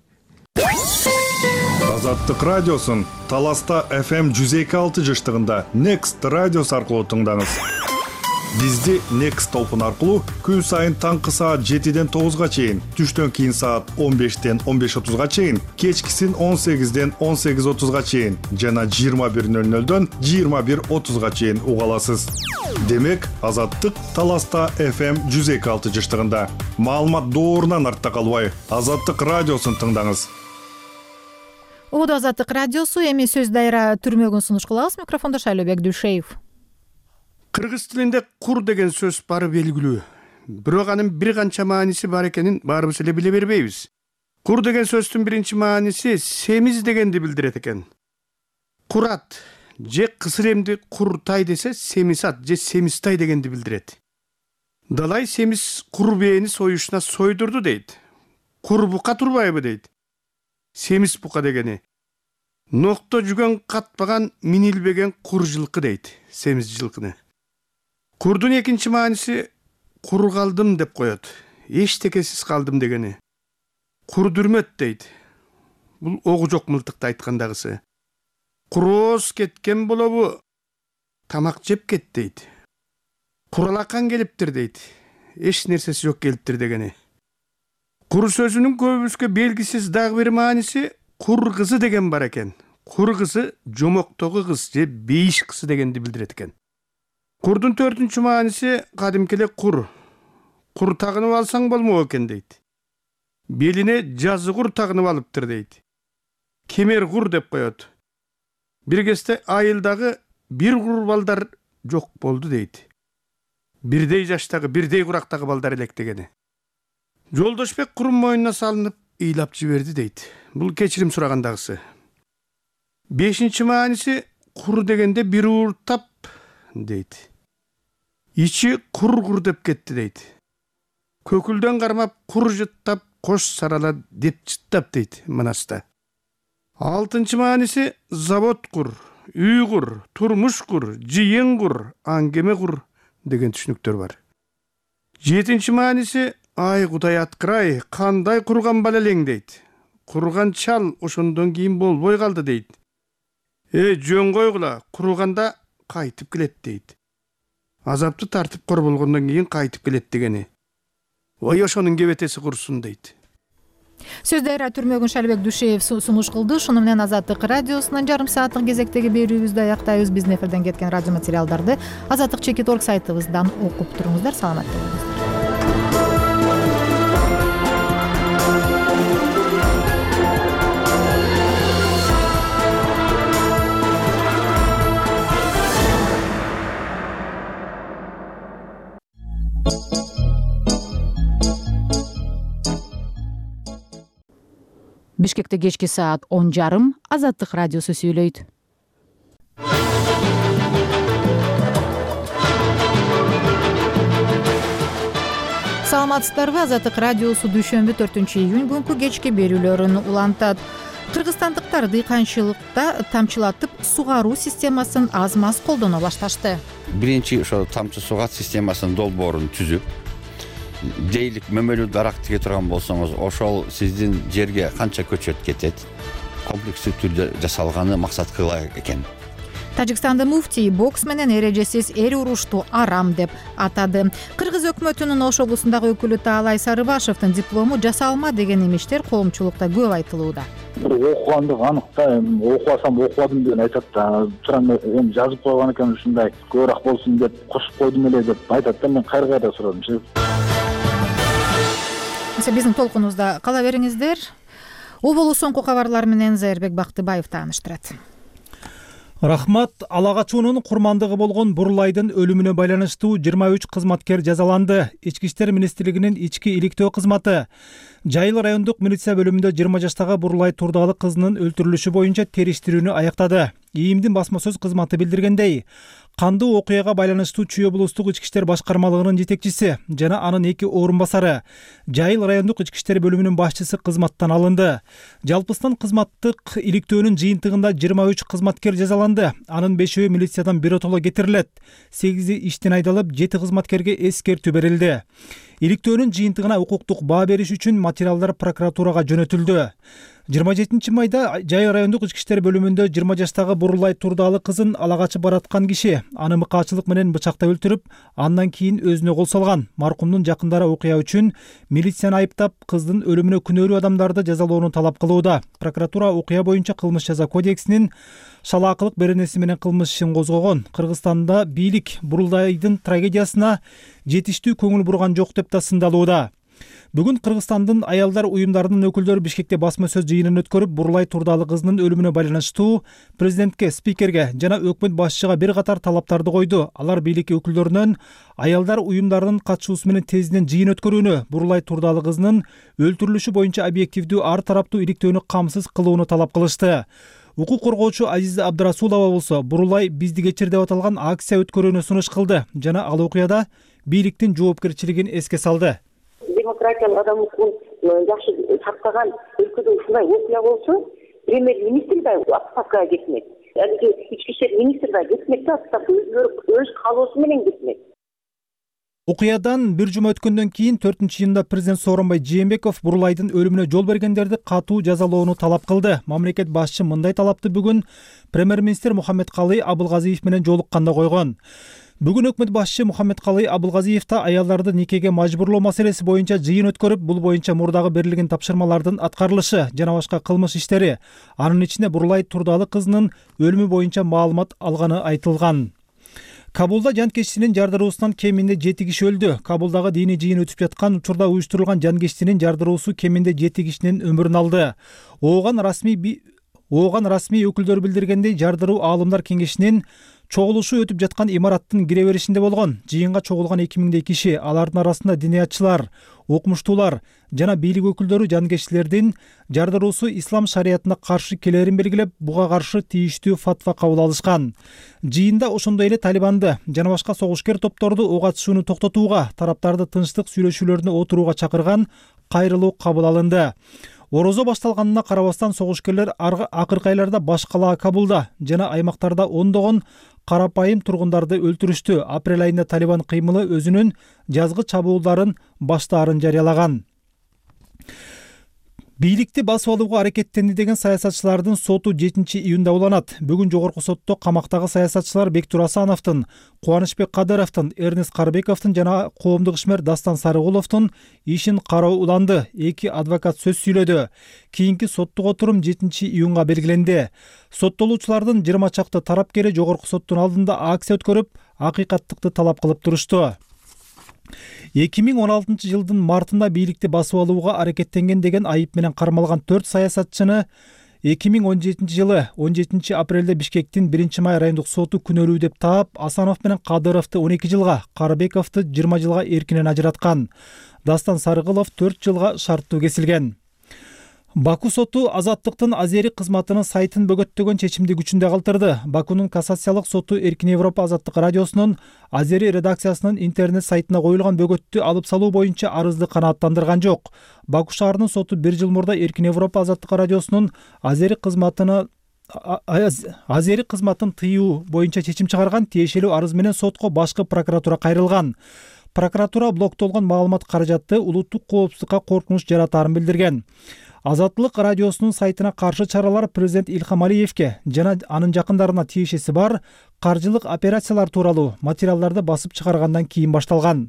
Speaker 13: Азаттык радиосун Таласта эф эм жүз эки алты жыштыгында Next радиосу аркылуу тыңдаңыз. Бизди Next толкун аркылуу күн сайын таңкы саат жетиден тогузга чейин, түштөн кийин саат он бештен он беш отузга чейин, кечкисин он сегизден он сегиз отузга чейин жана жыйырма бир нөл нөлдөн жыйырма бир отузга чейин уга аласыз. Демек, Азаттык Таласта эф эм жүз эки алты жыштыгында. Маалымат доорунан артта калбай, Азаттык радиосун тыңдаңыз.
Speaker 1: Оодо Азаттык радиосу, эми сөз дайра түрмөгүн сунуш кылабыз. Микрофондо Шайлообек Дүйшеев.
Speaker 17: Кыргыз тилинде кур деген сөз бары белгилүү. Бирок анын бир канча мааниси бар экенин баарыбыз эле биле бербейбиз. Кур деген сөздүн биринчи мааниси семиз дегенди билдирет экен. Курат же кысыр эмди куртай десе, семисат же семистай дегенди билдирет. Далай семиз кур бээни союшуна сойдурду дейт. Кур бука турбайбы дейт. Семиз бука дегени нокто жүгөн катпаган минилбеген кур жылкы дейт, семиз жылкыны. Курдун экинчи мааниси кур калдым деп коет. Эчтекесиз калдым дегени. Кур дүрмөт дейт. Бул огу жок мылтыкты айткандагысы. Курооз кеткен болобу, тамак жеп кет дейт. Куралакан келиптир дейт. Эч нерсеси жок келиптир дегени. Кур сөзүнүн көбүбүзгө белгисиз дагы бир мааниси кур кызы деген бар экен. Кур кызы жомоктогу кыз же бейиш кызы дегенди билдирет экен. Курдун төртүнчү мааниси кадимки эле кур. Кур тагынып алсаң болмок экен дейт. Белине жазы кур тагынып алыптыр дейт. Кемер кур деп коет. Бир кезде айылдагы бир кур балдар жок болду дейт. Бирдей жаштагы, бирдей курактагы балдар элек дегени. Жолдошбек курун мойнуна салынып ыйлап жиберди дейт. Бул кечирим сурагандагысы. Бешинчи мааниси кур дегенде бир ууртап дейт. Ичи кур-кур деп кетти дейт. Көкүлдөн кармап кур жыттап, кош сарала деп жыттап дейт Манаста. Алтынчы мааниси завод кур, үй кур, турмуш кур, жыйын кур, аңгеме кур деген түшүнүктөр бар. Жетинчи мааниси ай Кудай аткырай, кандай курган бала элең дейт. Курган чал ошондон кийин болбой калды дейт. Э, жөн койгула, курганда кайтып келет дейт. Азапты тартып кор болгондон кийин кайтып келет дегени. ой ошонун кебетеси курсун дейт.
Speaker 1: Сөздөр Түрмөгүн Шалбек Дүйшеев сунуш кылды. Шуну менен Азаттык радиосунун жарым сааттык кезектеги берүүбүздү аяктайбыз. Биздин эфирден кеткен радио материалдарды азаттык чекит орг сайтыбыздан окуп туруңуздар. Саламатта болуңуздар. Бишкекте кечки саат он жарым. Азаттык радиосу сүйлөйт. Саламатсыздарбы? Азаттык радиосу дүйшөмбү төртүнчү июнь күнкү кечки берүүлөрүн улантат. Кыргызстандыктар дыйканчылыкта тамчылатып сугаруу системасын аз-маз колдоно башташты.
Speaker 18: Биринчи ошо тамчы сугат системасынын долбоорун түзүп, жейлик мөмөлүү дарак тиге турган болсоңуз, ошол сиздин жерге канча көчөт кетет, комплекстүү түрдө жасалганы максат кыла экен.
Speaker 1: Тажикстанда муфтий бокс менен эрежесиз эр урушту арам деп атады. Кыргыз өкмөтүнүн Ош облусундагы өкүлү Таалай Сарыбашевдин диплому жасалма деген имиштер коомчулукта көп айтылууда.
Speaker 19: Окугандык анык да, окубасам окубадым деген айтат да. Туран эми жазып койгон экен ушундай көбүрөөк болсун деп кошуп койдум эле деп айтат да. Мен кайра кайра сурадымчы.
Speaker 1: Биздин толкунубузда кала бериңиздер. Оболу соңку кабарлар менен Зайырбек Бактыбаев тааныштырат.
Speaker 4: Рахмат. Ала качуунун курмандыгы болгон Бурулайдын өлүмүнө байланыштуу жыйырма үч кызматкер жазаланды. Ички иштер министрлигинин ички иликтөө кызматы Жайыл райондук милиция бөлүмүндө жыйырма жаштагы Бурулай Турдалы кызынын өлтүрүлүшү боюнча териштирүүнү аяктады. ИИМдин басма сөз кызматы билдиргендей, кандуу окуяга байланыштуу Чүй облустук ички иштер башкармалыгынын жетекчиси жана анын эки орун басары Жайыл райондук ички иштер бөлүмүнүн башчысы кызматтан алынды. Жалпысынан кызматтык иликтөөнүн жыйынтыгында жыйырма үч кызматкер жазаланды. Анын бешөө милициядан биротоло кетирилет. сегизи иштен айдалып, жети кызматкерге эскертүү берилди. Иликтөөнүн жыйынтыгына укуктук баа бериш үчүн материалдар прокуратурага жөнөтүлдү. жыйырма жетинчи майда Жайыл райондук ички иштер бөлүмүндө жыйырма жаштагы Бурулай Турдалы кызын ала качып бараткан киши аны мыкаачылык менен бычактап өлтүрүп, андан кийин өзүнө кол салган. Маркумдун жакындары окуя үчүн милицияны айыптап, кыздын өлүмүнө күнөөлүү адамдарды жазалоону талап кылууда. Прокуратура окуя боюнча кылмыш жаза кодексинин шалаакылык беренеси менен кылмыш ишин козгогон. Кыргызстанда бийлик Бурулайдын трагедиясына жетиштүү көңүл бурган жок деп да сындалууда. Бүгүн Кыргызстандын аялдар уюмдарынын өкүлдөрү Бишкекте басма сөз жыйынын өткөрүп, Бурулай Турдалы кызынын өлүмүнө байланыштуу президентке, спикерге жана өкмөт башчыга бир катар талаптарды койду. Алар бийлик өкүлдөрүнөн аялдар уюмдарынын катышуусу менен тезинен жыйын өткөрүүнү, Бурулай Турдалы кызынын өлтүрүлүшү боюнча объективдүү ар тараптуу иликтөөнү камсыз кылууну талап кылышты. Укук коргоочу Азиза Абдрасулова болсо Бурулай бизди кечир деп аталган акция өткөрүүнү сунуш кылды жана ал окуяда бийликтин жоопкерчилигин эске салды.
Speaker 3: Демократиялык адам укугун жакшы сактаган өлкөдө ушундай окуя болсо, премьер-министр да отставкага кетмек. Алиги ички иштер министри да кетмек да, отставка өз каалоосу менен кетмек.
Speaker 4: Окуядан бир жума өткөндөн кийин төртүнчү июнда президент Сооронбай Жээнбеков Бурулайдын өлүмүнө жол бергендерди катуу жазалоону талап кылды. Мамлекет башчы мындай талапты бүгүн премьер-министр Мухаммедкалый Абылгазиев менен жолукканда койгон. Бүгүн өкмөт башчы Мухаммедкалый Абылгазиев да аялдарды никеге мажбурлоо маселеси боюнча жыйын өткөрүп, бул боюнча мурдагы берилген тапшырмалардын аткарылышы жана башка кылмыш иштери, анын ичинде Бурулай Турдалы кызынын өлүмү боюнча маалымат алганы айтылган. Кабулда жанкечтинин жардыруусунан кеминде жети киши өлдү. Кабулдагы диний жыйын өтүп жаткан учурда уюштурулган жанкечтинин жардыруусу кеминде жети кишинин өмүрүн алды. Ооган расмий Ооган расмий өкүлдөр билдиргендей, жардыруу аалымдар кеңешинин чогулушу өтүп жаткан имараттын кире беришинде болгон. Жыйынга чогулган эки миңдей киши, алардын арасында диниятчылар, окумуштуулар жана бийлик өкүлдөрү жанкечтилердин жардыруусу ислам шариятына каршы келерин белгилеп, буга каршы тийиштүү фатва кабыл алышкан. Жыйында ошондой эле Талибанды жана башка согушкер топторду ок атышууну токтотууга, тараптарды тынчтык сүйлөшүүлөрүнө отурууга чакырган кайрылуу кабыл алынды. Орозо башталганына карабастан согушкерлер акыркы айларда баш калаа Кабулда жана аймактарда ондогон карапайым тургундарды өлтүрүштү. Апрель айында Талибан кыймылы өзүнүн жазгы чабуулдарын баштаарын жарыялаган. бийликти басып алууга аракеттенди деген саясатчылардын соту жетинчи июнда уланат. Бүгүн жогорку сотто камактагы саясатчылар Бектур Асановдун, Кубанычбек Кадыровдун, Эрнест Карыбековдун жана коомдук ишмер Дастан Сарыгуловдун ишин кароо уланды. Эки адвокат сөз сүйлөдү. Кийинки соттук отурум жетинчи июнга белгиленди. Соттолуучулардын жыйырма чакты тарапкери жогорку соттун алдында акция өткөрүп, акыйкаттыкты талап кылып турушту. эки миң он алтынчы жылдын мартында бийликти басып алууга аракеттенген деген айып менен кармалган төрт саясатчыны эки миң он жетинчи жылы он жетинчи апрелде Бишкектин биринчи май райондук соту күнөөлүү деп таап, Асанов менен Кадыровду он эки жылга, Карыбековду жыйырма жылга эркинен ажыраткан. Дастан Сарыгулов төрт жылга шарттуу кесилген. Баку соту Азаттыктын Азери кызматынын сайтын бөгөттөгөн чечимди күчүндө калтырды. Бакунун кассациялык соту Эркин Европа Азаттык радиосунун Азери редакциясынын интернет сайтына коюлган бөгөттү алып салуу боюнча арызды канааттандырган жок. Баку шаарынын соту бир жыл мурда Эркин Европа Азаттык радиосунун Азери кызматына Азери кызматын тыюу боюнча чечим чыгарган. Тиешелүү арыз менен сотко башкы прокуратура кайрылган. Прокуратура блоктолгон маалымат каражатты улуттук коопсуздукка коркунуч жаратаарын билдирген. Азаттык радиосунун сайтына каршы чаралар президент Илхам Алиевке жана анын жакындарына тиешеси бар каржылык операциялар тууралуу материалдарды басып чыгаргандан кийин башталган.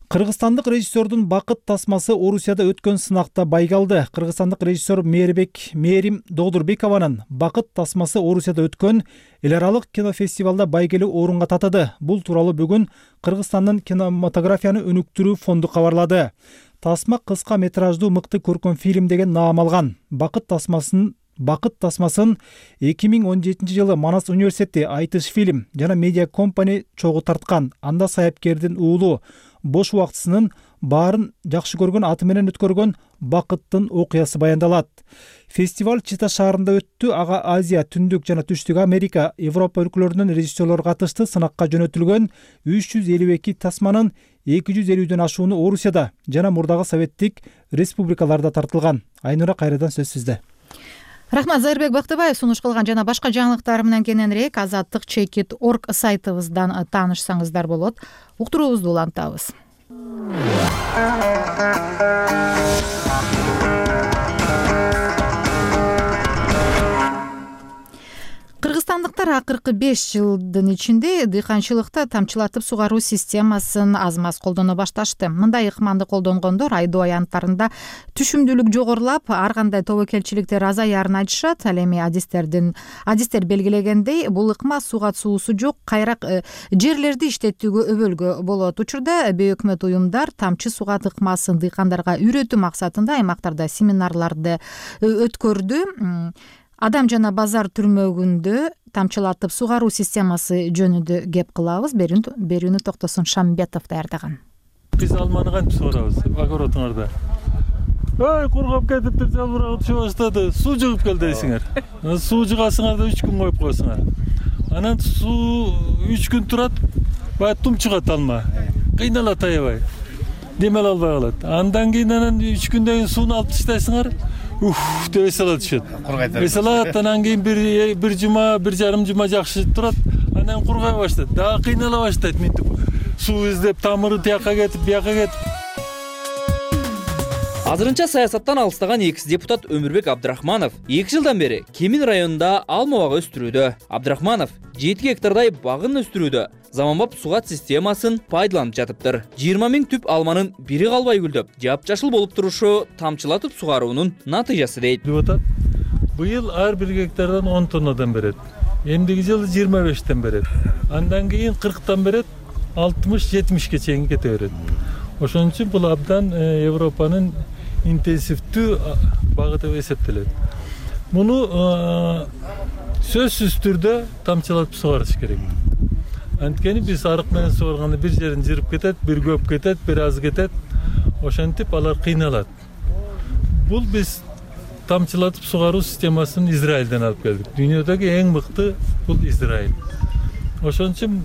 Speaker 4: Кыргызстандык режиссердун бакыт тасмасы Орусияда өткөн сынакта байгалды. Кыргызстандык режиссер Мээрбек Мээрим Додурбекованын бакыт тасмасы Орусияда өткөн эл аралык кинофестивалда байгелүү орунга татыды. Бул тууралуу бүгүн Кыргызстандын кинематографияны өнүктүрүү фонду кабарлады. Тасма кыска метраждуу мыкты көркөм фильм деген наам алган. Бакыт тасмасын Бакыт тасмасын эки миң он жетинчи жылы Манас университети Айтыш фильм жана медиа компани чогуу тарткан. Анда саяпкердин уулу бош убактысынын баарын жакшы көргөн аты менен өткөргөн бакыттын окуясы баяндалат. Фестиваль Чита шаарында өттү. Ага Азия, Түндүк жана Түштүк Америка, Европа өлкөлөрүнүн режиссерлору катышты. Сынакка жөнөтүлгөн үч жүз элүү эки тасманын эки жүз элүүдөн ашууну Орусияда жана мурдагы советтик республикаларда тартылган. Айнура, кайрадан сөз сизде.
Speaker 1: Рахмат, Зайырбек Бактыбаев сунуш кылган жана башка жаңылыктар менен кененирээк азаттык чекит точка орг сайтыбыздан таанышсаңыздар болот. Уктуруубузду улантабыз. Кыргызстандыктар акыркы беш жылдын ичинде дыйканчылыкта тамчылатып сугаруу системасын аз маз колдоно башташты. Мындай ыкманды колдонгондор айдоо аянттарында түшүмдүүлүк жогорулап, ар кандай тобокелчиликтер азаярын айтышат. Ал эми адистердин адистер белгилегендей, бул ыкма суга суусу жок, кайрак жерлерди иштетүүгө өбөлгө болот. Учурда бейөкмөт уюмдар тамчы сугат ыкмасын дыйкандарга үйрөтүү максатында аймактарда семинарларды өткөрдү. Адам жана базар түрмөгүндө тамчылатып сугаруу системасы жөнүндө кеп кылабыз. Берүүнү Токтосун Шамбетов даярдаган.
Speaker 20: Биз алманы кантип сугарабыз? Огородуңарда. Ой, кургап кетиптир, жалбырагы түшө баштады. Суу жыгып кел дейсиңер. Суу жыгасыңар да үч күн коюп коесуңар. Анан суу үч күн турат, баягы тум чыгат алма. Кыйналат аябай. Демел албай калат. Андан кийин анан үч күндөн кийин сууну алып таштайсыңар. Уф, деп эсала түшөт. Эсалат, анан кийин бир бир жума, бир жарым жума жакшы турат, анан кургай баштайт. Дагы кыйнала баштайт мынтип. Суу издеп, тамыры тияка кетип, бияка кетип.
Speaker 21: Азырынча саясаттан алыстаган экс депутат Өмүрбек Абдрахманов эки жылдан бери Кемин районунда алма бак өстүрүүдө. Абдрахманов жети гектардай багын өстүрүүдө заманбап сугат системасын пайдаланып жатыптыр. жыйырма миң түп алманын бири калбай гүлдөп, жапжашыл болуп турушу тамчылатып сугаруунун натыйжасы дейт.
Speaker 20: Депутат быйыл ар бир гектардан он тоннадан берет. Эмдиги жылы жыйырма бештен берет. Андан кийин кырктан берет, алтымыш жетимишке чейин кете берет. Ошон үчүн бул абдан Европанын интенсивдүү багыты деп эсептелет. Муну сөзсүз түрдө тамчылатып сугарыш керек. Анткени биз арык менен сугарганда бир жерин жырып кетет, бир көп кетет, бир аз кетет. Ошентип алар кыйналат. Бул биз тамчылатып сугаруу системасын Израилден алып келдик. Дүйнөдөгү эң мыкты бул Израиль. Ошон үчүн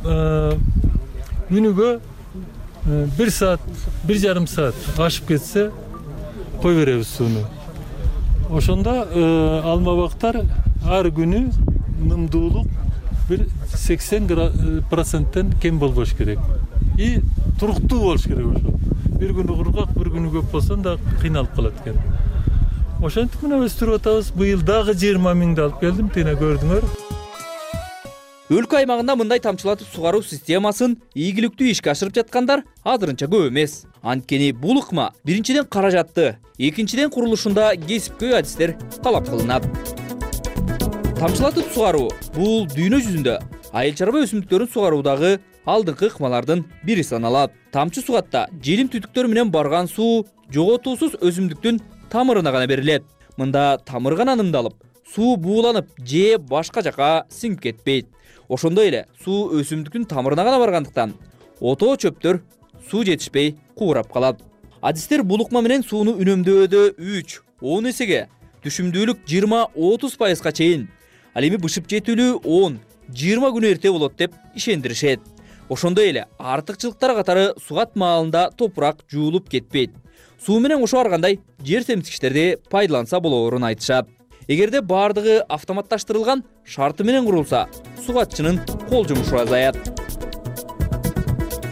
Speaker 20: күнүгө бир саат, бир жарым саат ашып кетсе кой беребиз сууну. Ошондо алма бактар ар күнү нымдуулук бир сексен проценттен кем болбош керек. И туруктуу болуш керек ошо. Бир күнү кургак, бир күнү көп болсо да кыйналып калат экен. ошентип мына өстүрүп атабыз. Быйыл дагы жыйырма миңди алып келдим, тине көрдүңөр.
Speaker 21: Өлкө аймагында мындай тамчылатып сугаруу системасын ийгиликтүү ишке ашырып жаткандар азырынча көп эмес. Анткени бул ыкма биринчиден каражатты, экинчиден курулушунда кесипкөй адистер талап кылынат. Тамчылатып сугаруу бул дүйнө жүзүндө айыл чарба өсүмдүктөрүн сугаруудагы алдыңкы ыкмалардын бири саналат. Тамчы сугатта желим түтүктөр менен барган суу жоготуусуз өсүмдүктүн тамырына гана берилет. Мында тамыр гана нымдалып, суу бууланып же башка жака сиңип кетпейт. Ошондой эле суу өсүмдүктүн тамырына гана баргандыктан отоо чөптөр суу жетишпей куурап калат. Адистер бул ыкма менен сууну үнөмдөөдө үч он эсеге, түшүмдүүлүк жыйырма отуз пайызга чейин, ал эми бышып жетүүлүү он жыйырма күн эрте болот деп ишендиришет. Ошондой эле артыкчылыктар катары сугат маалында топурак жуулуп кетпейт. Суу менен кошо аргандай жер семсикичтерди пайдаланса болоорун айтышат. Эгерде баардыгы автоматташтырылган шарты менен курулса, сугатчынын кол жумушу азаят.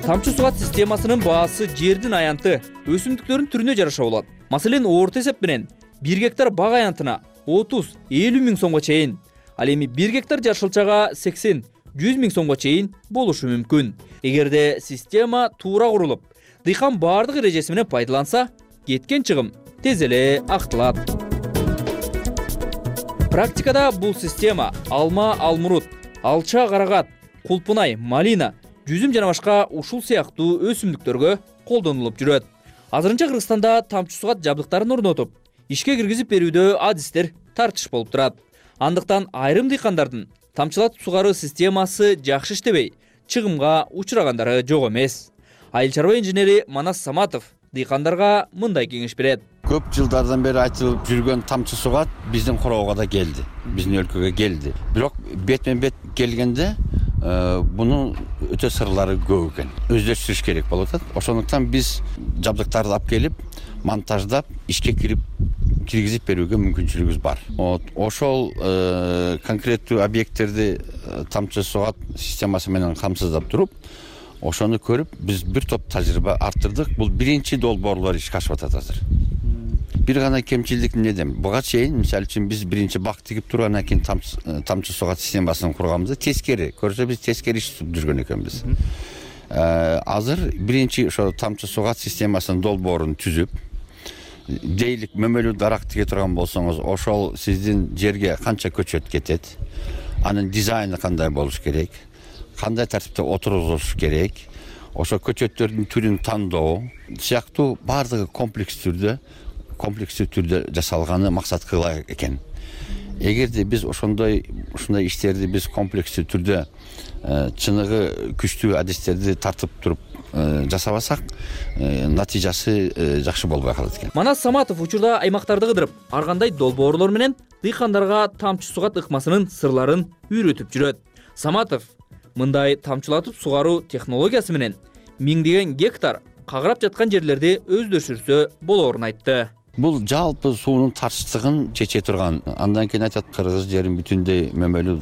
Speaker 21: Тамчы сугат системасынын баасы жердин аянты, өсүмдүктөрдүн түрүнө жараша болот. Маселен, орто эсеп менен бир гектар бак аянтына отуз элүү миң сомго чейин, ал эми бир гектар жашылчага сексен жүз миң сомго чейин болушу мүмкүн. Эгерде система туура курулуп, дыйкан баардык эрежеси менен пайдаланса, кеткен чыгым тез эле актылат. Практикада бул система алма, алмурут, алча, карагат, кулпунай, малина, жүзүм жана башка ушул сыяктуу өсүмдүктөргө колдонулуп жүрөт. Азырынча Кыргызстанда тамчы сугат жабдыктарын орнотуп, ишке киргизип берүүдө адистер тартыш болуп турат. Андыктан айрым дыйкандардын тамчылатып сугаруу системасы жакшы иштебей, чыгымга учурагандары жок эмес. Айыл чарба инженери Манас Саматов дыйкандарга мындай кеңеш берет.
Speaker 18: Көп жылдардан бери айтылып жүргөн тамчы сугат биздин короого да келди, биздин өлкөгө келди. Бирок бетмен бет келгенде бунун өтө сырлары көп экен. Өздөштүрүш керек болуп атат. Ошондуктан биз жабдыктарды алып келип, монтаждап, ишке кирип киргизип берүүгө мүмкүнчүлүгүбүз бар. Ошол конкреттүү объекттерди тамчы сугат системасы менен камсыздап туруп, ошону көрүп, биз бир топ тажрыйба арттырдык. Бул биринчи долбоорлор ишке ашып атат азыр. Бир гана кемчилдик эмнеден? Буга чейин, мисалы үчүн, биз биринчи бак тигип тургандан кийин тамчы сугат системасын курганбыз. Тескери, көрсө биз тескери иш жүргөн экенбиз. Азыр биринчи ошо тамчы сугат системасынын долбоорун түзүп, жейлик мөмөлүү дарак тиге турган болсоңуз, ошол сиздин жерге канча көчөт кетет, анын дизайны кандай болуш керек, кандай тартипте отургузуш керек, ошо көчөттөрдүн түрүн тандоо сыяктуу баардыгы комплекс түрдө, комплекстүү түрдө жасалганы максат кыла экен. Эгерде биз ошондой ушундай иштерди биз комплекстүү түрдө чыныгы күчтүү адистерди тартып туруп жасабасак, натыйжасы жакшы болбой калат экен.
Speaker 21: Манас Саматов учурда аймактарды кыдырып, ар кандай долбоорлор менен дыйкандарга тамчы сугат ыкмасынын сырларын үйрөтүп жүрөт. Саматов мындай тамчылатып сугаруу технологиясы менен миңдеген гектар кагырап жаткан жерлерди өздөштүрсө болоорун айтты.
Speaker 18: Бул жалпы суунун тартыштыгын чече турган. Андан кийин айтат, Кыргыз жерин бүтүндөй мөмөлүү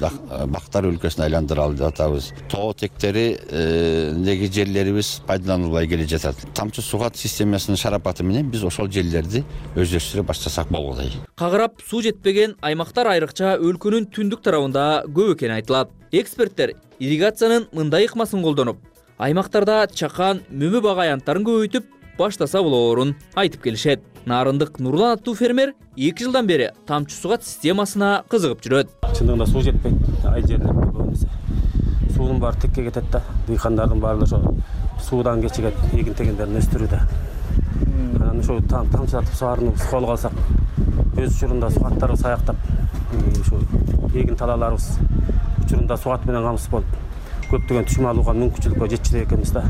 Speaker 18: бактар өлкөсүнө айландыралы деп атабыз. Тоо тектериндеги жерлерибиз пайдаланылбай келе жатат. Тамчы сугат системасынын шарапаты менен биз ошол жерлерди өздөштүрө баштасак болгудай.
Speaker 21: Кагырап суу жетпеген аймактар айрыкча өлкөнүн түндүк тарабында көп экени айтылат. Эксперттер ирригациянын мындай ыкмасын колдонуп, аймактарда чакан, мөмө бак аянттарын көбөйтүп баштаса болоорун айтып келишет. Нарындык Нурлан аттуу фермер эки жылдан бери тамчы сугат системасына кызыгып жүрөт.
Speaker 6: Чындыгында суу жетпейт ай жерлерде көбүнесе. Суунун баары текке кетет да, дыйкандардын баары ошо суудан кечигет, эгин тегендерин өстүрүүдө. Анан ошо тамчылатып сугарууну колго алсак, өз учурунда сугаттарды саяктап, ушу эгин талааларыбыз учурунда сугат менен камсыз болуп, көптөгөн түшүм алууга мүмкүнчүлүккө жетчү экенбиз да.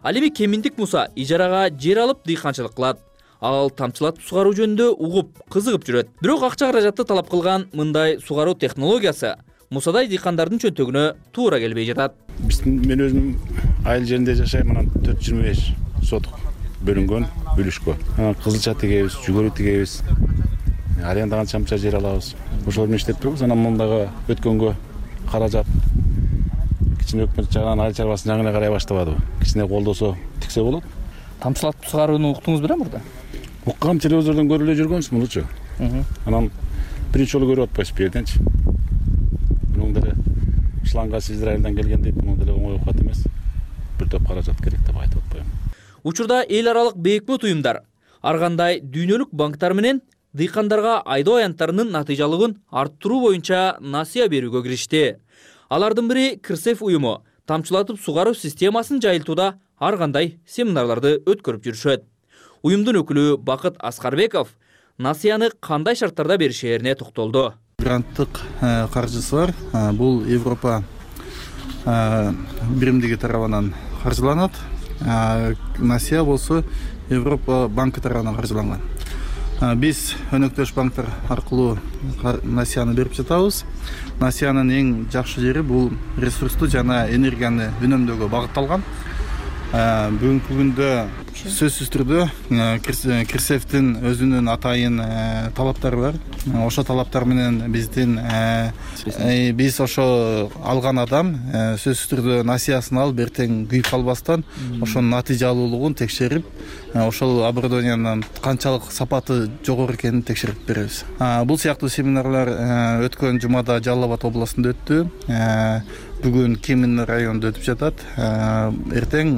Speaker 21: Ал эми Кеминдик Муса ижарага жер алып дыйканчылык кылат. Ал тамчылатып сугаруу жөнүндө угуп, кызыгып жүрөт. Бирок акча каражатты талап кылган мындай сугаруу технологиясы Мусадай дыйкандардын чөнтөгүнө туура келбей жатат.
Speaker 22: Мен өзүм айыл жеринде жашайм, анан төрт жүз жыйырма беш сотук бөлүнгөн бүлүшкө. Кызылча тигебиз, жүгөрү тигебиз. Арендаган чамча жер алабыз. Ошол менен иштеп турбуз. Анан мындагы өткөнгө каражат кичине өкмөт жагынан айыл чарбасын жагына карай баштабадыбы. Кичине колдосо тиксе болот.
Speaker 21: Тамчылатып сугарууну уктуңуз белең мурда?
Speaker 22: Уккам, телевизордон көрүп эле жүргөнбүз мунучу. анан биринчи жолу көрүп атпайсыз бул жерденчи. Мунун деле ишламга Израилден келген дейт, мунун деле оңой окуат эмес. Бир топ каражат керек деп айтып атпайм.
Speaker 21: Учурда эл аралык бейикмут уюмдар ар кандай дүйнөлүк банктар менен дыйкандарга айдоо аянттарынын натыйжалыгын арттыруу боюнча насыя берүүгө киришти. Алардын бири Кырсеф уюму тамчылатып сугаруу системасын жайылтууда ар кандай семинарларды өткөрүп жүрүшөт. Уюмдун өкүлү Бакыт Аскарбеков насыяны кандай шарттарда беришерине токтолду.
Speaker 7: Гранттык каржысы бар. Бул Европа биримдиги тарабынан каржыланат. Насыя болсо Европа банкы тарабынан каржыланган. Биз өнөктөш банктар аркылуу насыяны берип жатабыз. Насыянын эң жакшы жери бул ресурсту жана энергияны үнөмдөөгө багытталган. Бүгүнкү күндө сөзсүз түрдө Кирсефтин өзүнүн атайын талаптары бар. Ошо талаптар менен биздин биз ошо алган адам сөзсүз түрдө насыясын алып эртең күйүп калбастан ошонун натыйжалуулугун текшерип, ошол оборудованиянын канчалык сапаты жогору экенин текшерип беребиз. Бул сыяктуу семинарлар өткөн жумада Жалал Абад областында өттү. Бүгүн Кемин районунда өтүп жатат. Эртең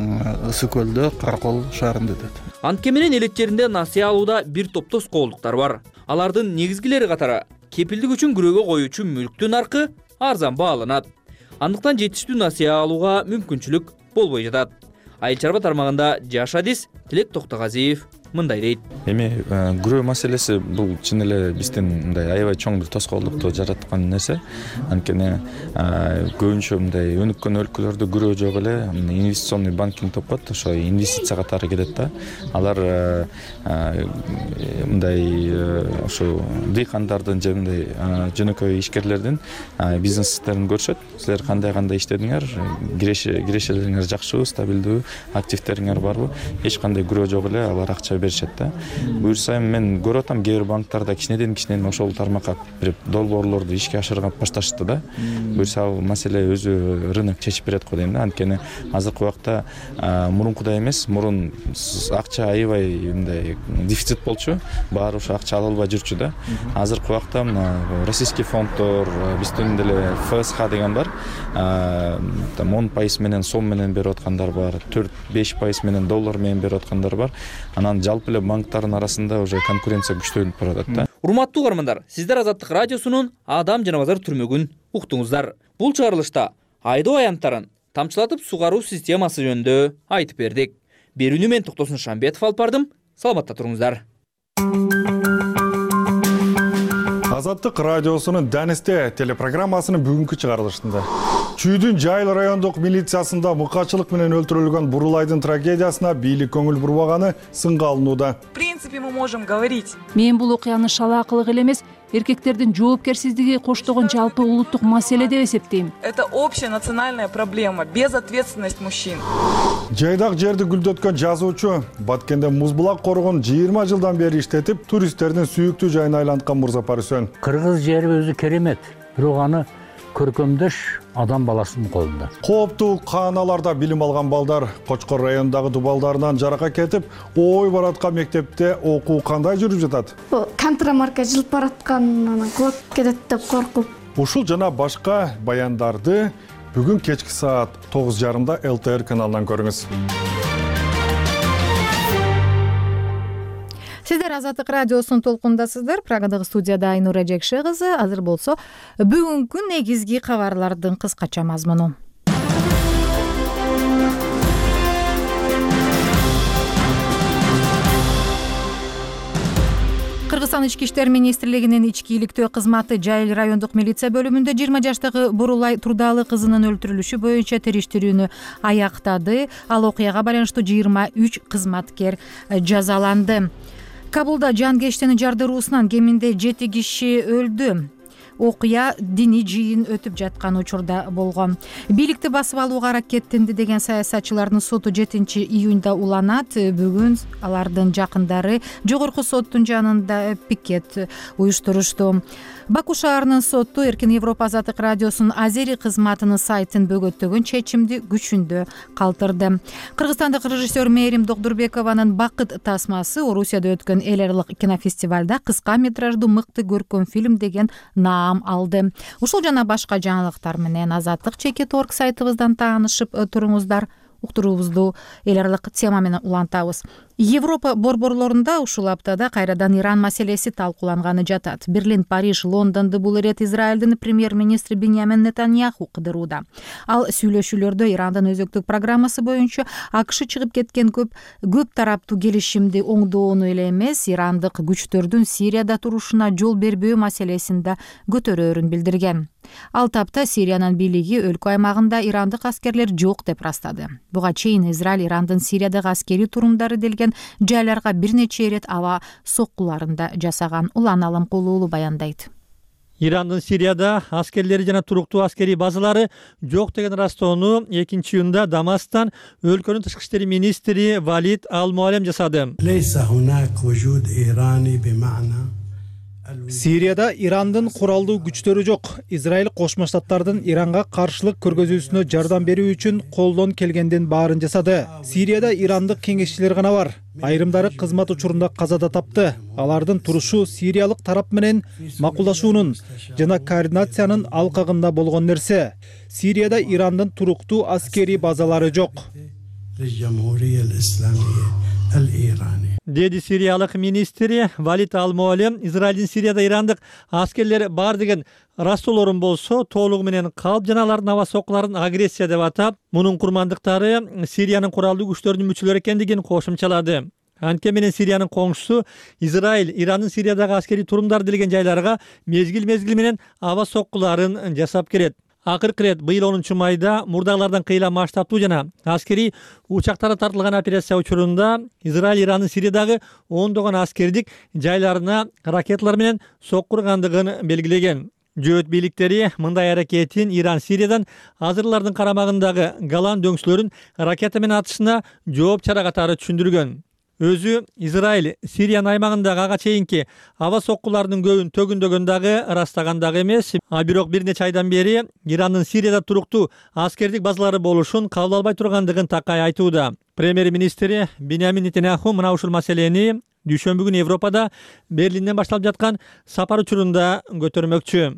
Speaker 7: Ысык көлдө, Каракол шаарында өтөт.
Speaker 21: Антке менен элек жеринде насыя алууда бир топ тоскоолдуктар бар. Алардын негизгилери катары кепилдик үчүн күрөөгө коюучу мүлктүн наркы арзан бааланат. Андыктан жетиштүү насыя алууга мүмкүнчүлүк болбой жатат. Айыл чарба тармагында жаш адис Тилек Токтогазиев мындай дейт.
Speaker 8: Эми күрөө маселеси бул чын эле биздин мындай аябай чоң бир тоскоолдукту жараткан нерсе. Анткени көбүнчө мындай өнүккөн өлкөлөрдө күрөө жок эле инвестиционный банкинг деп коет, ошо инвестиция катары кетет да. Алар мындай ошо дыйкандардын же мындай жөнөкөй ишкерлердин бизнестерин көрүшөт. Силер кандай кандай иштедиңер, кирешелериңер жакшыбы, стабилдүү, активтериңер барбы? Эч кандай күрөө жок эле, алар акча беришет да. Буюрса мен көрүп атам, кээ бир банктарда кичинеден кичинен ошол тармакка бир долбоорлорду ишке ашырып башташты да. Буюрса ал маселе өзү рынок чечип берет го дейм да. Анткени азыркы убакта мурункудай эмес, мурун акча аябай мындай дефицит болчу, баары ошо акча ала албай жүрчү да. Азыркы убакта российский фонддор, биздин деле эф эс ха деген бар. Там он пайыз менен сом менен берип аткандар бар, төрт беш пайыз менен доллар менен берип аткандар бар. Анан жалпы эле банктардын арасында уже конкуренция күчтөнүп баратат да.
Speaker 21: Урматтуу угармандар, сиздер Азаттык радиосунун Адам жана базар түрмөгүн уктуңуздар. Бул чыгарылышта айдоо аянттарын тамчылатып сугаруу системасы жөнүндө айтып бердик. Берүүнү мен Токтосун Шамбетов алып бардым. Саламатта туруңуздар.
Speaker 13: Азаттык радиосунун Данисте телепрограммасынын бүгүнкү чыгарылышында Чүйдүн Жайыл райондук милициясында мыкачылык менен өлтүрүлгөн Бурулайдын трагедиясына бийлик көңүл бурбаганы сынга алынууда.
Speaker 23: В принципе, мы можем говорить.
Speaker 24: Мен бул окуяны шалаакылык эле эмес, эркектердин жоопкерсиздиги коштогон жалпы улуттук маселе деп эсептейм.
Speaker 23: Это общая национальная проблема, безответственность мужчин.
Speaker 13: Жайдак жерди гүлдөткөн жазуучу Баткенде муз булак коргон жыйырма жылдан бери иштетип, туристтердин сүйүктүү жайына айланткан Мурзапар Үсөн.
Speaker 25: Кыргыз жери өзү керемет, бирок аны көркөмдөш адам баласынын колунда.
Speaker 13: Кооптуу кааналарда билим алган балдар Кочкор районундагы дубалдарынан жарака кетип, ой бараткан мектепте окуу кандай жүрүп жатат?
Speaker 26: Контрамарка жылып баратканынан кулап кетет деп коркуп.
Speaker 13: Ушул жана башка баяндарды бүгүн кечки саат тогуз жарымда эл тэ эр каналынан көрүңүз.
Speaker 1: Сиздер Азаттык радиосунун толкундасыздар. Прагадагы студияда Айнура Жекше кызы. Азыр болсо бүгүнкү негизги кабарлардын кыскача мазмуну. Кыргызстан ички иштер министрлигинин ички иликтөө кызматы Жайыл райондук милиция бөлүмүндө жыйырма жаштагы Бурулай Турдалы кызынын өлтүрүлүшү боюнча териштирүүнү аяктады. Ал окуяга байланыштуу жыйырма үч кызматкер жазаланды. Кабулда жан кештини жардыруусунан кеминде жети киши өлдү. окуя диний жыйын өтүп жаткан учурда болгон. Бийликти басып алууга аракеттенди деген саясатчылардын соту жетинчи июнда уланат. Бүгүн алардын жакындары жогорку соттун жанында пикет уюштурушту. Баку шаарынын соту Эркин Европа Азаттык радиосунун Азери кызматынын сайтын бөгөттөгөн чечимди күчүндө калтырды. Кыргызстандык режиссер Мээрим Докдурбекованын «Бакыт тасмасы» Орусияда өткөн эл аралык кинофестивалда кыска метраждуу мыкты көркөм фильм деген наам алды. Ушул жана башка жаңылыктар менен Азаттык чекит точка орг сайтыбыздан таанышып туруңуздар. Уктуруубузду эл аралык тема менен улантабыз. Европа борборлорунда ушул аптада кайрадан Иран маселеси талкууланганы жатат. Берлин, Париж, Лондонду бул ирет Израилдин премьер-министри Биньямин Нетаньяху кыдырууда. Ал сүйлөшүүлөрдө Ирандын өзөктүк программасы боюнча АКШ чыгып кеткен көп көп тараптуу келишимди оңдоону эле эмес, ирандык күчтөрдүн Сирияда турушуна жол бербөө маселесин да көтөрөөрүн билдирген. Ал тапта Сириянын бийлиги өлкө аймагында ирандык аскерлер жок деп ырастады. Буга чейин Израиль Ирандын Сириядагы аскерий турумдары делген жайларга бир нече ирет аба соккуларын да жасаган. Улан Аламкулуулу баяндайт.
Speaker 2: Ирандын Сирияда аскерлери жана туруктуу аскерий базалары жок деген ырастоону экинчи июнда Дамасктан өлкөнүн тышкы иштери министри Валид Ал-Муалем жасады.
Speaker 4: Сирияда Ирандын куралдуу күчтөрү жок. Израиль Кошмо Штаттардын Иранга каршылык көргөзүүсүнө жардам берүү үчүн колдон келгендин баарын жасады. Сирияда ирандык кеңешчилер гана бар. Айрымдары кызмат учурунда каза да тапты. Алардын турушу сириялык тарап менен макулдашуунун жана координациянын алкагында болгон нерсе. Сирияда Ирандын туруктуу аскерий базалары жок.
Speaker 2: Деди сириялык министри Валид Ал-Муалем Израилдин Сирияда ирандык аскерлери бар деген ырастоолорун болсо толугу менен калп жана алардын аба соккуларын агрессия деп атап, мунун курмандыктары Сириянын куралдуу күчтөрүнүн мүчөлөрү экендигин кошумчалады. Анткени менен Сириянын коңшусу Израиль Ирандын Сириядагы аскерий турумдар делген жайларга мезгил-мезгил менен аба соккуларын жасап келет. Акыркы ирет быйыл онунчу майда мурдагылардан кыйла масштабтуу жана аскерий учактары тартылган операция учурунда Израиль Ирандын Сириядагы ондогон аскердик жайларына ракеталар менен соккургандыгын белгилеген. Жөөт бийликтери мындай аракетин Иран Сириядан азырлардын карамагындагы Голан дөңсөлөрүн ракета менен атышына жооп чара катары түшүндүргөн. Өзү Израиль Сириянын аймагындагы ага чейинки аба соккуларынын көбүн төгүндөгөн дагы ырастаган дагы эмес. А бирок бир нече айдан бери Ирандын Сирияда туруктуу аскердик базалары болушун кабыл албай тургандыгын такай айтууда. Премьер-министри Биньямин Нетаньяху мына ушул маселени дүйшөмбү күнү Европада Берлинден башталып жаткан сапар учурунда көтөрмөкчү.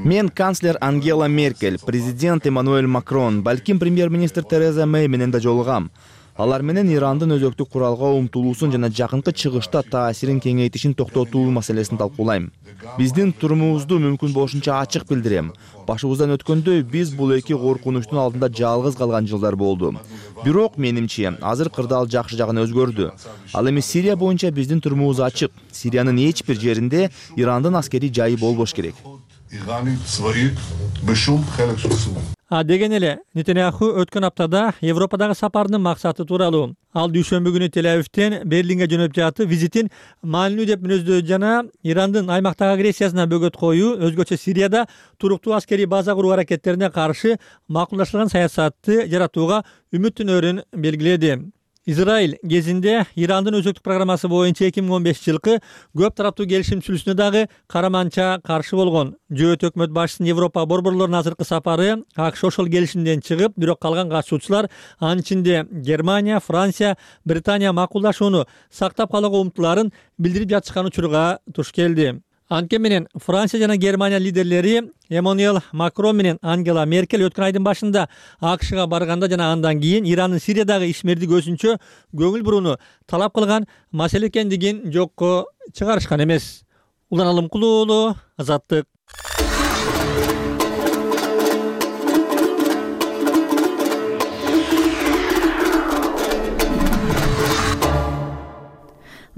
Speaker 5: Мен канцлер Ангела Меркель, президент Эммануэль Макрон, балким премьер-министр Тереза Мэй менен да жолугам. Алар менен Ирандын өзөктүк куралга умтулуусун жана жакынкы чыгышта таасирин кеңейтишин токтотуу маселесин талкуулайм. Биздин турумубузду мүмкүн болушунча ачык билдирем. Башыбыздан өткөндөй биз бул эки коркунучтун алдында жалгыз калган жылдар болду. Бирок менимче азыр кырдаал жакшы жагына өзгөрдү. Ал эми Сирия боюнча биздин турумубуз ачык. Сириянын эч бир жеринде Ирандын аскерий жайы болбош керек.
Speaker 2: А деген эле Нетаньяху өткөн аптада Европадагы сапарынын максаты тууралуу. Ал дүйшөмбү күнү Тель-Авивден Берлинге жөнөп жатып, визитин маанилүү деп мүнөздөдү жана Ирандын аймактагы агрессиясына бөгөт коюу, өзгөчө Сирияда туруктуу аскерий база куруу аракеттерине каршы макулдашылган саясатты жаратууга үмүттөнөрүн белгиледи. Израиль кезинде Ирандын өзөктүк программасы боюнча эки миң он бешинчи жылкы көп тараптуу келишим түзүлүүсүнө дагы караманча каршы болгон. Жөөт өкмөт башчысынын Европа борборлорунун азыркы сапары АКШ ошол келишимден чыгып, бирок калган катышуучулар, анын ичинде Германия, Франция, Британия макулдашууну сактап калууга умтулаарын билдирип жатышкан учурга туш келди. Анткени менен Франция жана Германия лидерлери Эммануэль Макрон менен Ангела Меркель өткөн айдын башында АКШга барганда жана андан кийин Ирандын Сириядагы ишмердик өзүнчө көңүл бурууну талап кылган маселе экендигин жокко чыгарышкан эмес. Улан Алымкулуулу, Азаттык.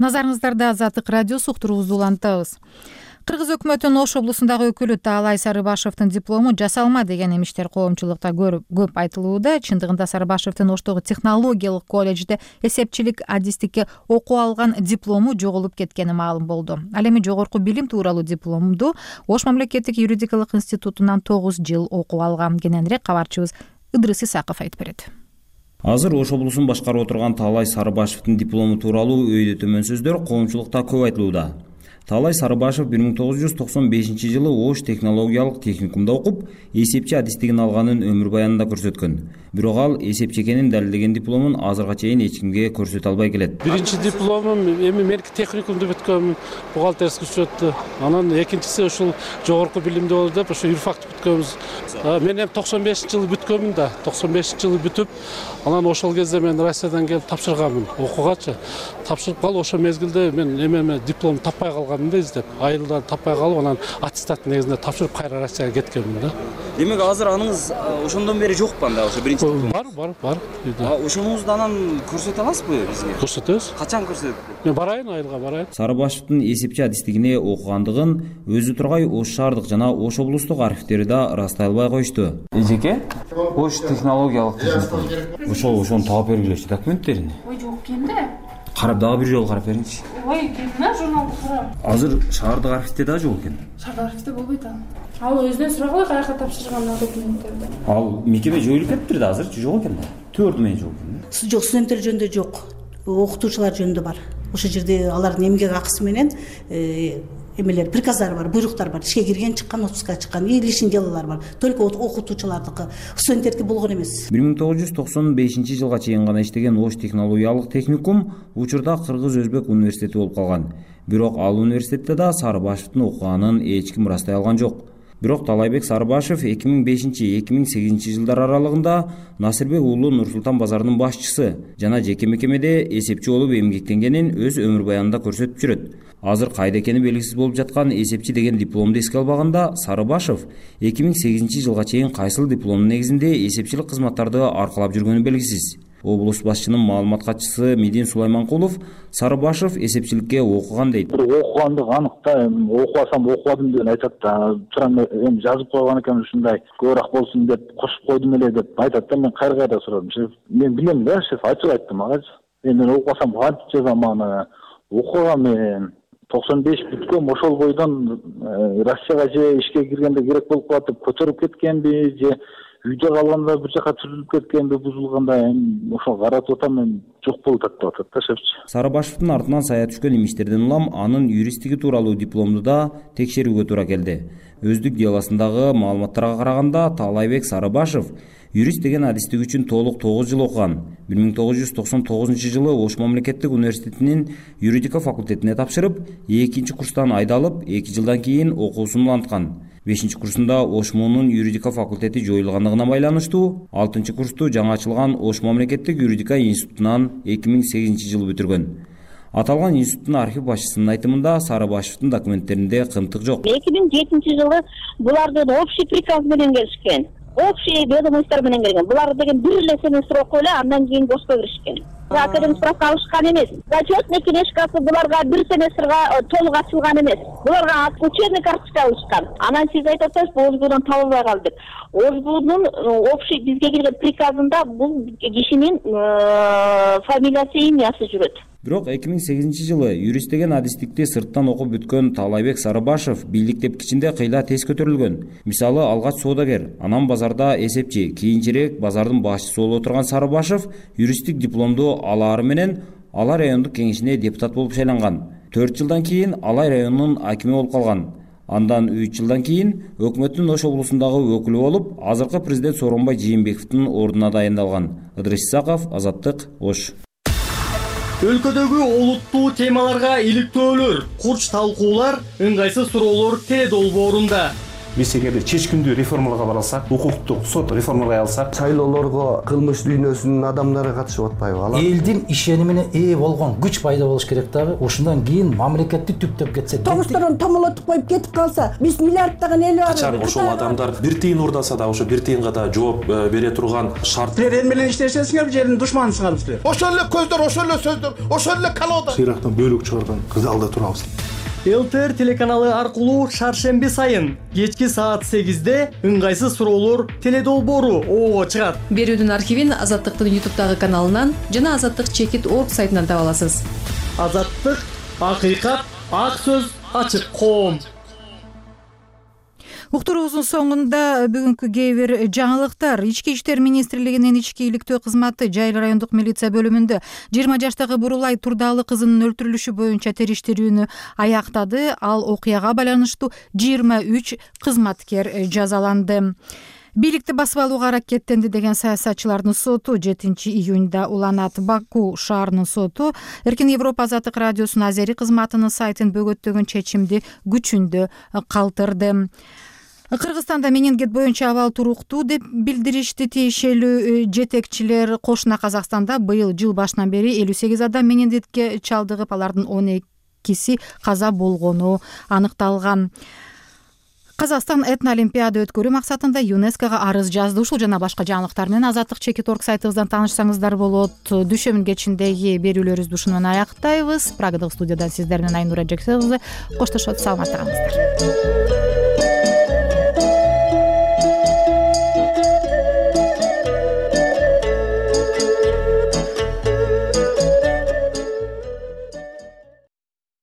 Speaker 1: Назарыңыздарда Азаттык радиосу уктуруубузду улантабыз. Кыргыз өкмөтүнүн Ош облусундагы өкүлү Таалай Сарыбашевдин диплому жасалма деген эмиштер коомчулукта көп айтылууда. Чындыгында Сарыбашевдин Оштогу технологиялык колледжде эсепчилик адистикке окуу алган диплому жоголуп кеткени маалым болду. Ал эми жогорку билим тууралуу дипломду Ош мамлекеттик юридикалык институтунан тогуз жыл окуп алган. Кененирээк кабарчыбыз Ыдрыс Исаков айтып берет.
Speaker 9: Азыр Ош облусун башкарып отурган Таалай Сарыбашевдин диплому тууралуу өйдө төмөн сөздөр коомчулукта көп айтылууда. Таалай Сарыбашев бир миң тогуз жүз токсон бешинчи жылы Ош технологиялык техникумда окуп, эсепчи адистигин алганын өмүр баянында көрсөткөн. Бирок ал эсепчи экенин далилдеген дипломун азырга чейин эч кимге көрсөтө албай келет.
Speaker 10: Биринчи дипломум эми меники техникумду бүткөнмүн, бухгалтерский учетто. Анан экинчиси ушул жогорку билимди болду деп, ошо юрфакты бүткөнбүз. Мен эми токсон бешинчи жылы бүткөнмүн да, токсон бешинчи жылы бүтүп, анан ошол кезде мен Россиядан келип тапшырганмын окуугачы. Тапшырып калып, ошол мезгилде мен эмеме диплом таппай калганмын да издеп. Айылда таппай калып, анан аттестат негизинде тапшырып кайра Россияга кеткенмин да.
Speaker 9: Демек азыр аныңыз ошондон бери жокпу анда, ошо биринчи
Speaker 10: бар, бар, бар.
Speaker 9: Ошоңузду анан көрсөтө аласызбы бизге?
Speaker 10: Көрсөтөбүз.
Speaker 9: Качан көрсөтөт?
Speaker 10: Мен барайын, айылга барайын.
Speaker 9: Сарыбашевдин эсепчи адистигине окугандыгын өзү тургай Ош шаардык жана Ош облустук архивдери да ырастай албай коюшту.
Speaker 11: Эжеке, Ош технологиялык техникум.
Speaker 9: Ошол ошону таап бергилечи документтерин.
Speaker 11: Ой, жок экенде.
Speaker 9: Карап дагы бир жолу карап бериңичи.
Speaker 11: Ой, кемне журналды карап.
Speaker 9: Азыр шаардык архивде да жок экен.
Speaker 11: Шаардык архивде болбойт ал. Ал өзүнөн сурагыла каяка тапшырган документтерди.
Speaker 9: Ал мекеме жоюлуп кетиптир да, азыр жок экен да. Төрт менен жок экен.
Speaker 12: Жок, студенттер жөнүндө жок. Окутуучулар жөнүндө бар. Ошол жерде алардын эмгек акысы менен эмелер, приказдар бар, буйруктар бар. Ишке кирген, чыккан, отпускка чыккан, лишний делолар бар. Только окутуучулардыкы, студенттердики болгон эмес.
Speaker 9: бир миң тогуз жүз токсон бешинчи жылга чейин гана иштеген Ош технологиялык техникум учурда Кыргыз-Өзбек университети болуп калган. Бирок ал университетте да Сарыбашевдин окуганын эч ким ырастай алган жок. Бирок Талайбек Сарыбашев эки миң бешинчи — эки миң сегизинчи жылдар аралыгында Насырбек уулу Нур-Султан базарынын башчысы жана жеке мекемеде эсепчи болуп эмгектенгенин өз өмүр баянында көрсөтүп жүрөт. Азыр кайда экени белгисиз болуп жаткан эсепчи деген дипломду эске албаганда, Сарыбашев эки миң сегизинчи жылга чейин кайсыл дипломдун негизинде эсепчилик кызматтарды аркалап жүргөнү белгисиз. Облус башчынын маалымат катчысы Медин Сулайманкулов Сарыбашев эсепчиликке окуган дейт.
Speaker 19: Окугандыгы анык да, окубасам окубадым деп айтат да. Туран эми жазып койгон экен ушундай көбүрөөк болсун деп кошуп койдум эле деп айтат да. Мен кайра кайра сурадым. Мен билем да, шеф ачык айттым ага. Эми мен окубасам кантип жазам аны? Окугам мен токсон беш бүткөм, ошол бойдон Россияга же ишке киргенде керек болуп калат деп көтөрүп кеткенби, же үйдө калганда бир жака сүрүлүп кеткенби, бузулганда эми ошол каратып атам, мен жок болуп атат деп атат да шефчи.
Speaker 9: Сарыбашевдин артынан сая түшкөн имиштерден улам анын юристтиги тууралуу дипломду да текшерүүгө туура келди. Өздүк делосундагы маалыматтарга караганда Таалайбек Сарыбашев юрист деген адистик үчүн толук тогуз жыл окуган. бир миң тогуз жүз токсон тогузунчу жылы Ош мамлекеттик университетинин юридика факультетине тапшырып, экинчи курстан айдалып, эки жылдан кийин окуусун уланткан. бешинчи курсунда Ош муунун юридика факультети жоюлгандыгына байланыштуу алтынчы курсту жаңы ачылган Ош мамлекеттик юридика институтунан эки миң сегизинчи жылы бүтүргөн. Аталган институттун архив башчысынын айтымында Сарыбашевдин документтеринде кымтык жок.
Speaker 14: эки миң жетинчи жылы булардын общий приказ менен келишкен. Общий ведомостьтор менен келген. Булар деген бир эле семестр окуп эле, андан кийин бошко киришкен. Академик справка алышкан эмес. Зачетный книжкасы буларга бир семестрга толук ачылган эмес. Буларга учебный карточка алышкан. Анан сиз айтып атасыз, ОЖБУдан табылбай калды деп. ОЖБУнун общий бизге келген приказында бул кишинин фамилиясы, имясы жүрөт.
Speaker 9: Бирок эки миң сегизинчи жылы юрист деген адистикти сырттан окуп бүткөн Таалайбек Сарыбашев бийлик тепкичинде кыйла тез көтөрүлгөн. Мисалы, алгач соодагер, анан базарда эсепчи, кийинчерээк базардын башчысы болуп отурган Сарыбашев юристтик дипломду алаары менен Алай райондук кеңешине депутат болуп шайланган. төрт жылдан кийин Алай районунун акими болуп калган. Андан үч жылдан кийин өкмөттүн Ош облусундагы өкүлү болуп, азыркы президент Сооронбай Жээнбековдун ордуна дайындалган. Ыдрыс Исаков, Азаттык, Ош.
Speaker 16: Өлкөдөгү олуттуу темаларга иликтөөлөр, курч талкуулар, ыңгайсыз суроолор Т долбоорунда.
Speaker 22: Биз эгерде чечкиндүү реформаларга баралсак, укуктук сот реформаларга алсак,
Speaker 27: шайлоолорго кылмыш дүйнөсүнүн адамдары катышып атпайбы? Алар
Speaker 28: элдин ишенимине ээ болгон күч пайда болуш керек дагы. Ошондон кийин мамлекетти түптөп кетсе,
Speaker 29: тогузторон томолотуп коюп кетип калса, биз миллиарддаган эл бар.
Speaker 22: Качан ошол адамдар бир тыйын урдаса да, ошо бир тыйынга да жооп бере турган шарт.
Speaker 16: Силер эл менен иштешесиңерби, же элдин душманысыңарбы силер?
Speaker 30: Ошол эле көздөр, ошол эле сөздөр, ошол эле колода.
Speaker 22: Сыйрактан бөлүк чыгарган кызалда турабыз.
Speaker 16: ЛТР телеканалы аркылуу шаршемби сайын кечки саат сегизде ыңгайсыз суроолор теледолбоору оого чыгат.
Speaker 3: Берүүдүн архивин Азаттыктын ютубтагы каналынан жана Азаттык чекит орг сайтынан таба аласыз.
Speaker 16: Азаттык, акыйкат, ак сөз, ачык коом.
Speaker 1: Уктуруубуздун соңунда бүгүнкү кээ бир жаңылыктар. Ички иштер министрлигинин ички иликтөө кызматы Жайыл райондук милиция бөлүмүндө жыйырма жаштагы Бурулай Турдалы кызынын өлтүрүлүшү боюнча териштирүүнү аяктады. Ал окуяга байланыштуу жыйырма үч кызматкер жазаланды. Бийликти басып алууга аракеттенди деген саясатчылардын соту жетинчи июнда уланат. Баку шаарынын соту Эркин Европа Азаттык радиосунун азери кызматынын сайтын бөгөттөгөн чечимди күчүндө калтырды. Кыргызстанда менингит боюнча абал туруктуу деп билдиришти тиешелүү жетекчилер. Кошуна Казакстанда быйыл жыл башынан бери элүү сегиз адам менингитке чалдыгып, алардын он экиси каза болгону аныкталган. Казакстан этно-олимпиада өткөрүү максатында ЮНЕСКОга арыз жазды. Ушул жана башка жаңылыктар менен Азаттык чекит орг сайтыбыздан таанышсаңыздар болот. Дүйшөмбү кечиндеги берүүлөрүбүздү ушуну менен аяктайбыз. Прагадагы студиядан сиздер менен Айнура Жексенкызы коштошот. Саламатта калыңыздар.